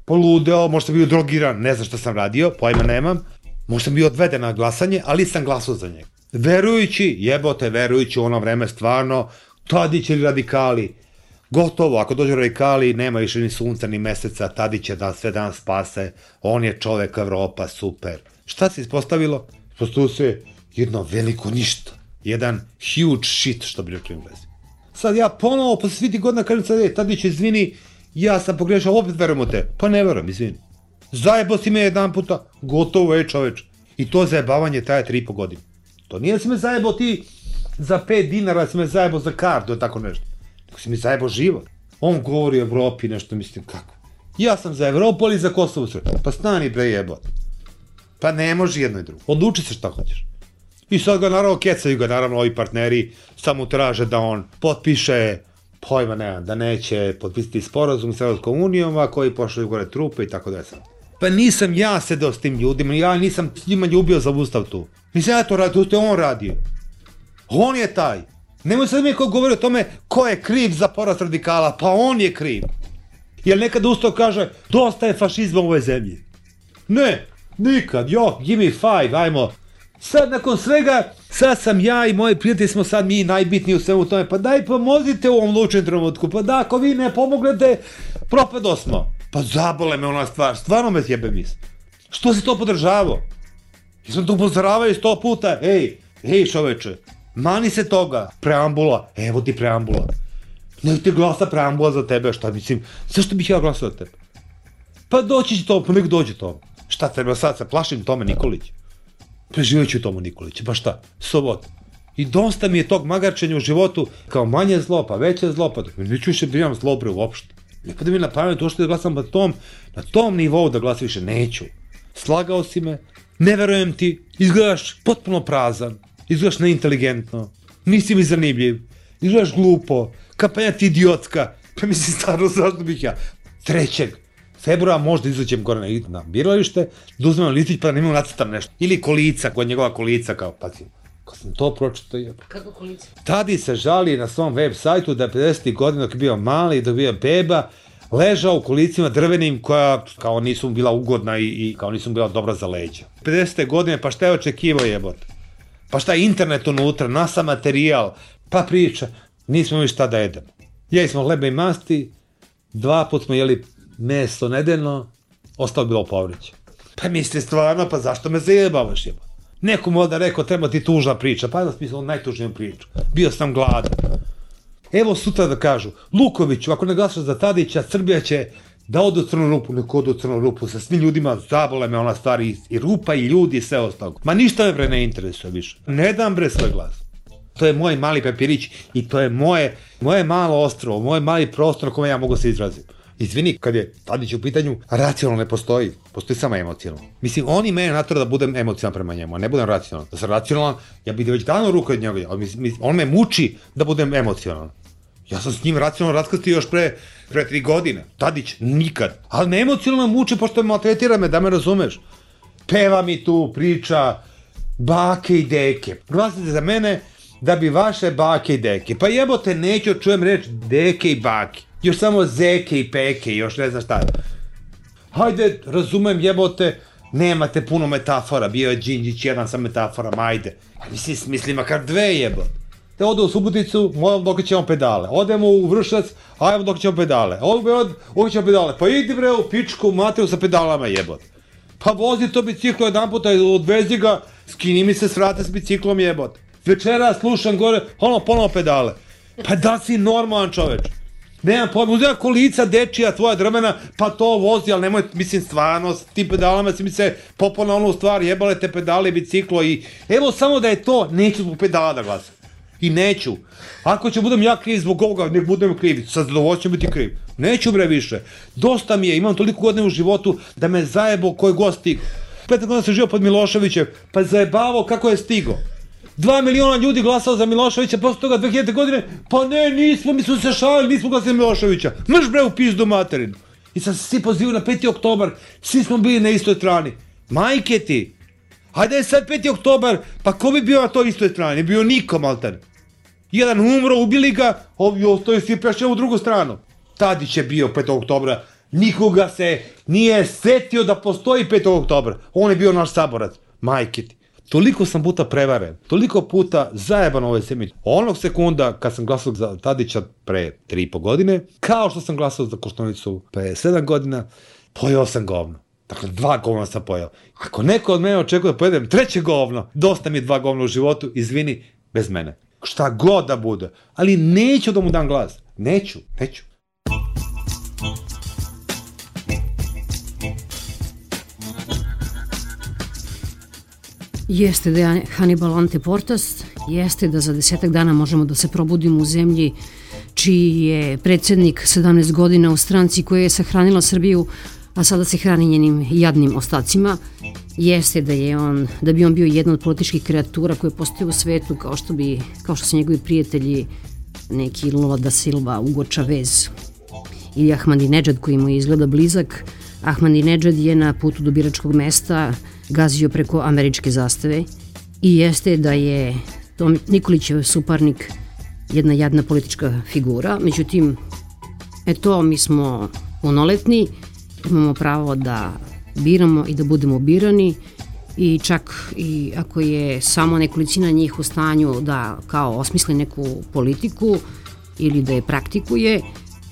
poludeo, možda sam bio drogiran, ne znam šta sam radio, pojma nemam. Možda sam bio odveden na glasanje, ali sam glasao za njega. Verujući, jebote, verujući u ono vreme stvarno, Tadić ili radikali, gotovo, ako dođu radikali, nema više ni sunca, ni meseca, Tadić će da sve dan spase, on je čovek Evropa, super. Šta se ispostavilo? Ispostavilo se jedno veliko ništa, jedan huge shit, što bi rekli u Englezi. Sad ja ponovo, posle svih tih godina, kažem sad, Tadić, izvini, ja sam pogrešao, opet verujem u te. Pa ne verujem, izvini. Zajebao si me jedan puta, gotovo čoveč. I to zajebavanje traje 3,5 godine. To nije da si me zajebao ti za 5 dinara, da si me zajebao za kartu, tako nešto. Nego si mi zajebao život. On govori o Evropi, nešto mislim, kako? Ja sam za Evropu, ali za Kosovo sve. Pa stani bre jebot. Pa ne može jedno i drugo. Odluči se šta hoćeš. I sad ga naravno kecaju ga, naravno ovi partneri samo traže da on potpiše, pojma nemam, da neće potpisati sporazum s Evropskom unijom, a koji pošalju gore trupe i tako da je sad. Pa nisam ja sedeo s tim ljudima, ja nisam s njima ljubio za ustav tu. Nisam ja to radio, to je on radio. On je taj. Nemoj sad mi ko govori o tome ko je kriv za porast radikala, pa on je kriv. Jer nekad ustav kaže, dosta je fašizma u ovoj zemlji. Ne, nikad, give me 5, ajmo. Sad nakon svega, sad sam ja i moji prijatelji smo sad mi najbitniji u svemu tome, pa daj pomozite u ovom lučnom trenutku, pa da, ako vi ne pomoglete, propedo smo. Pa zabole me ona stvar, stvarno me jebe misli. Što si to podržavao? Jesam to upozoravaju 100 puta, ej čoveče, mani se toga, preambula, evo ti preambula. Ne ti glasa preambula za tebe, šta mislim, zašto bih ja glasao za tebe? Pa doći će to, pa nek dođe to. Šta treba sad, se plašim Tome Nikolić? Preživjet ću Tomu Nikolića, pa šta, sobota. I dosta mi je tog magarčenja u životu, kao manje zlo, pa veće zlo, pa neću više da imam zlo bre uopšte. Nekada mi je na pamet uopšte da glasam na tom nivou da glasam više, neću. Slagao si me, ne verujem ti, izgledaš potpuno prazan, izgledaš neinteligentno, nisi mi zanimljiv, izgledaš glupo, kampanja ti idiotska, pa mislim stvarno zašto bih ja. 3. februara možda izađem gore na biralište, da uzmem listić pa da nemam nacrtam nešto. Ili kolica, kod njegova kolica, kao, pazi, kad sam to pročito jeba. Kako kolica? Tadi se žali na svom web sajtu da je 50. godina dok je bio mali, dok je bio beba, ležao u kolicima drvenim koja kao nisu bila ugodna i kao nisu bila dobra za leđa. 50. godine, pa šta je očekivao jebote? Pa šta je internet unutra, NASA materijal, pa priča, nismo imali šta da jedemo. Jeli smo hleba i masti, 2 put smo jeli meso nedeljno, ostalo bilo povrće. Pa misli stvarno, pa zašto me zajebavaš jeba? Neko mu onda rekao, treba ti tužna priča, pa da smislio najtužniju priču. Bio sam gladan. Evo sutra da kažu, Lukoviću, ako ne glasaš za Tadića, Srbija će da ode u crnu rupu, neko ode u crnu rupu, sa svim ljudima, zabole me ona stvari, i rupa, i ljudi, i sve ostalo. Ma ništa me bre ne interesuje više. Ne dam bre svoj glas. To je moj mali papirić i to je moje malo ostrvo, moj mali prostor na kome ja mogu se izraziti. Izvini, kad je Tadić u pitanju, racionalno ne postoji, postoji samo emocionalno. Mislim, on i mene natura da budem emocionalan prema njemu, a ne budem racionalan. Da sam racionalan, ja bih već dano ruku od njega, on me muči da budem emocionalan. Ja sam s njim racionalno raskrstio još pre 3 godine. Tadić, nikad. Ali me emocionalno muči, pošto maltretira me, da me razumeš. Peva mi tu, priča, bake i deke. Glasite za mene da bi vaše bake i deke. Pa jebote, neću čujem reč deke i bake. Još samo zeke i peke, još ne znam šta. Hajde, razumem jebote, nemate puno metafora, bio je Đinđić jedan sa metaforama, ajde. Mislim, makar 2 jebote. Te ode u Suboticu, moram dok ćemo pedale. Odemo u Vršac, ajmo dok ćemo pedale. Ovdje ćemo pedale. Pa idi bre u pičku materiju sa pedalama jebote. Pa vozi to biciklo jedan puta, odvezi ga, skini mi se s vrata s biciklom jebote. Večera slušam gore, ponovo pedale. Pa da si normalan čoveč. Nemam pojma, uzela kolica dečija tvoja drvena, pa to vozi, ali nemoj, mislim, stvarno, s tim pedalama si mi se popao na onu stvar, jebale te pedale, biciklo i... Evo samo da je to, neću zbog pedala da glasam. I neću. Ako ću budem ja kriv zbog ovoga, nek budem kriv, sa zadovoljstvom biti kriv. Neću bre više. Dosta mi je, imam toliko godina u životu da me zajebo koji god stigo. 5 godina sam živio pod Miloševićem, pa zajebavao kako je stigo. 2 miliona ljudi glasao za Miloševića, posle toga 2000. godine, pa ne, nismo, mi smo se šalili, nismo glasali za Miloševića. Mrš bre u pizdu materinu. I sad se svi pozivaju na 5. oktobar, svi smo bili na istoj strani. Majke ti, hajde je sad 5. oktobar, pa ko bi bio na toj istoj strani? Ne bio niko, malter. Jedan umro, ubili ga, ovi ostali svi prešli u drugu stranu. Tadić je bio 5. oktobra, nikoga se nije setio da postoji 5. oktobra. On je bio naš saborac. Majke ti. Toliko sam puta prevaren, toliko puta zajeban ovoj zemlji. Onog sekunda kad sam glasao za Tadića pre 3,5 godine, kao što sam glasao za Koštunicu pre 7 godina, pojeo sam govno. Dakle, 2 govna sam pojeo. Ako neko od mene očekuje da pojedem 3. govno, dosta mi je 2 govna u životu, izvini, bez mene. Šta god da bude, ali neću da mu dam glas. Neću. Jeste da je Hannibal anteportas, jeste da za 10 dana možemo da se probudimo u zemlji čiji je predsjednik 17 godina u stranci koja je sahranila Srbiju, a sada se hrani njenim jadnim ostacima. Jeste da bi on bio jedna od političkih kreatura koje postoje u svetu, kao što su njegovi prijatelji, neki Lula da Silva, Ugo Chavez ili Ahmadinejad koji mu izgleda blizak. Ahmadinejad je na putu do biračkog mesta gazio preko američke zastave i jeste da je Tom Nikolićev suparnik jedna jadna politička figura. Međutim, mi smo punoletni, imamo pravo da biramo i da budemo birani i čak i ako je samo nekolicina njih u stanju da kao osmisli neku politiku ili da je praktikuje,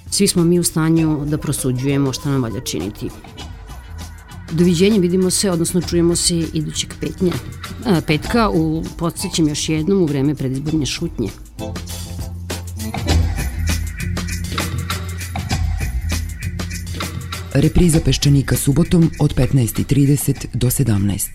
svi smo mi u stanju da prosuđujemo šta nam valja činiti. Doviđenja, vidimo se, odnosno čujemo se idućeg petka, podsjećam još jednom, u vreme predizborne šutnje. Repriza Peščanika subotom od 15:30 do 17.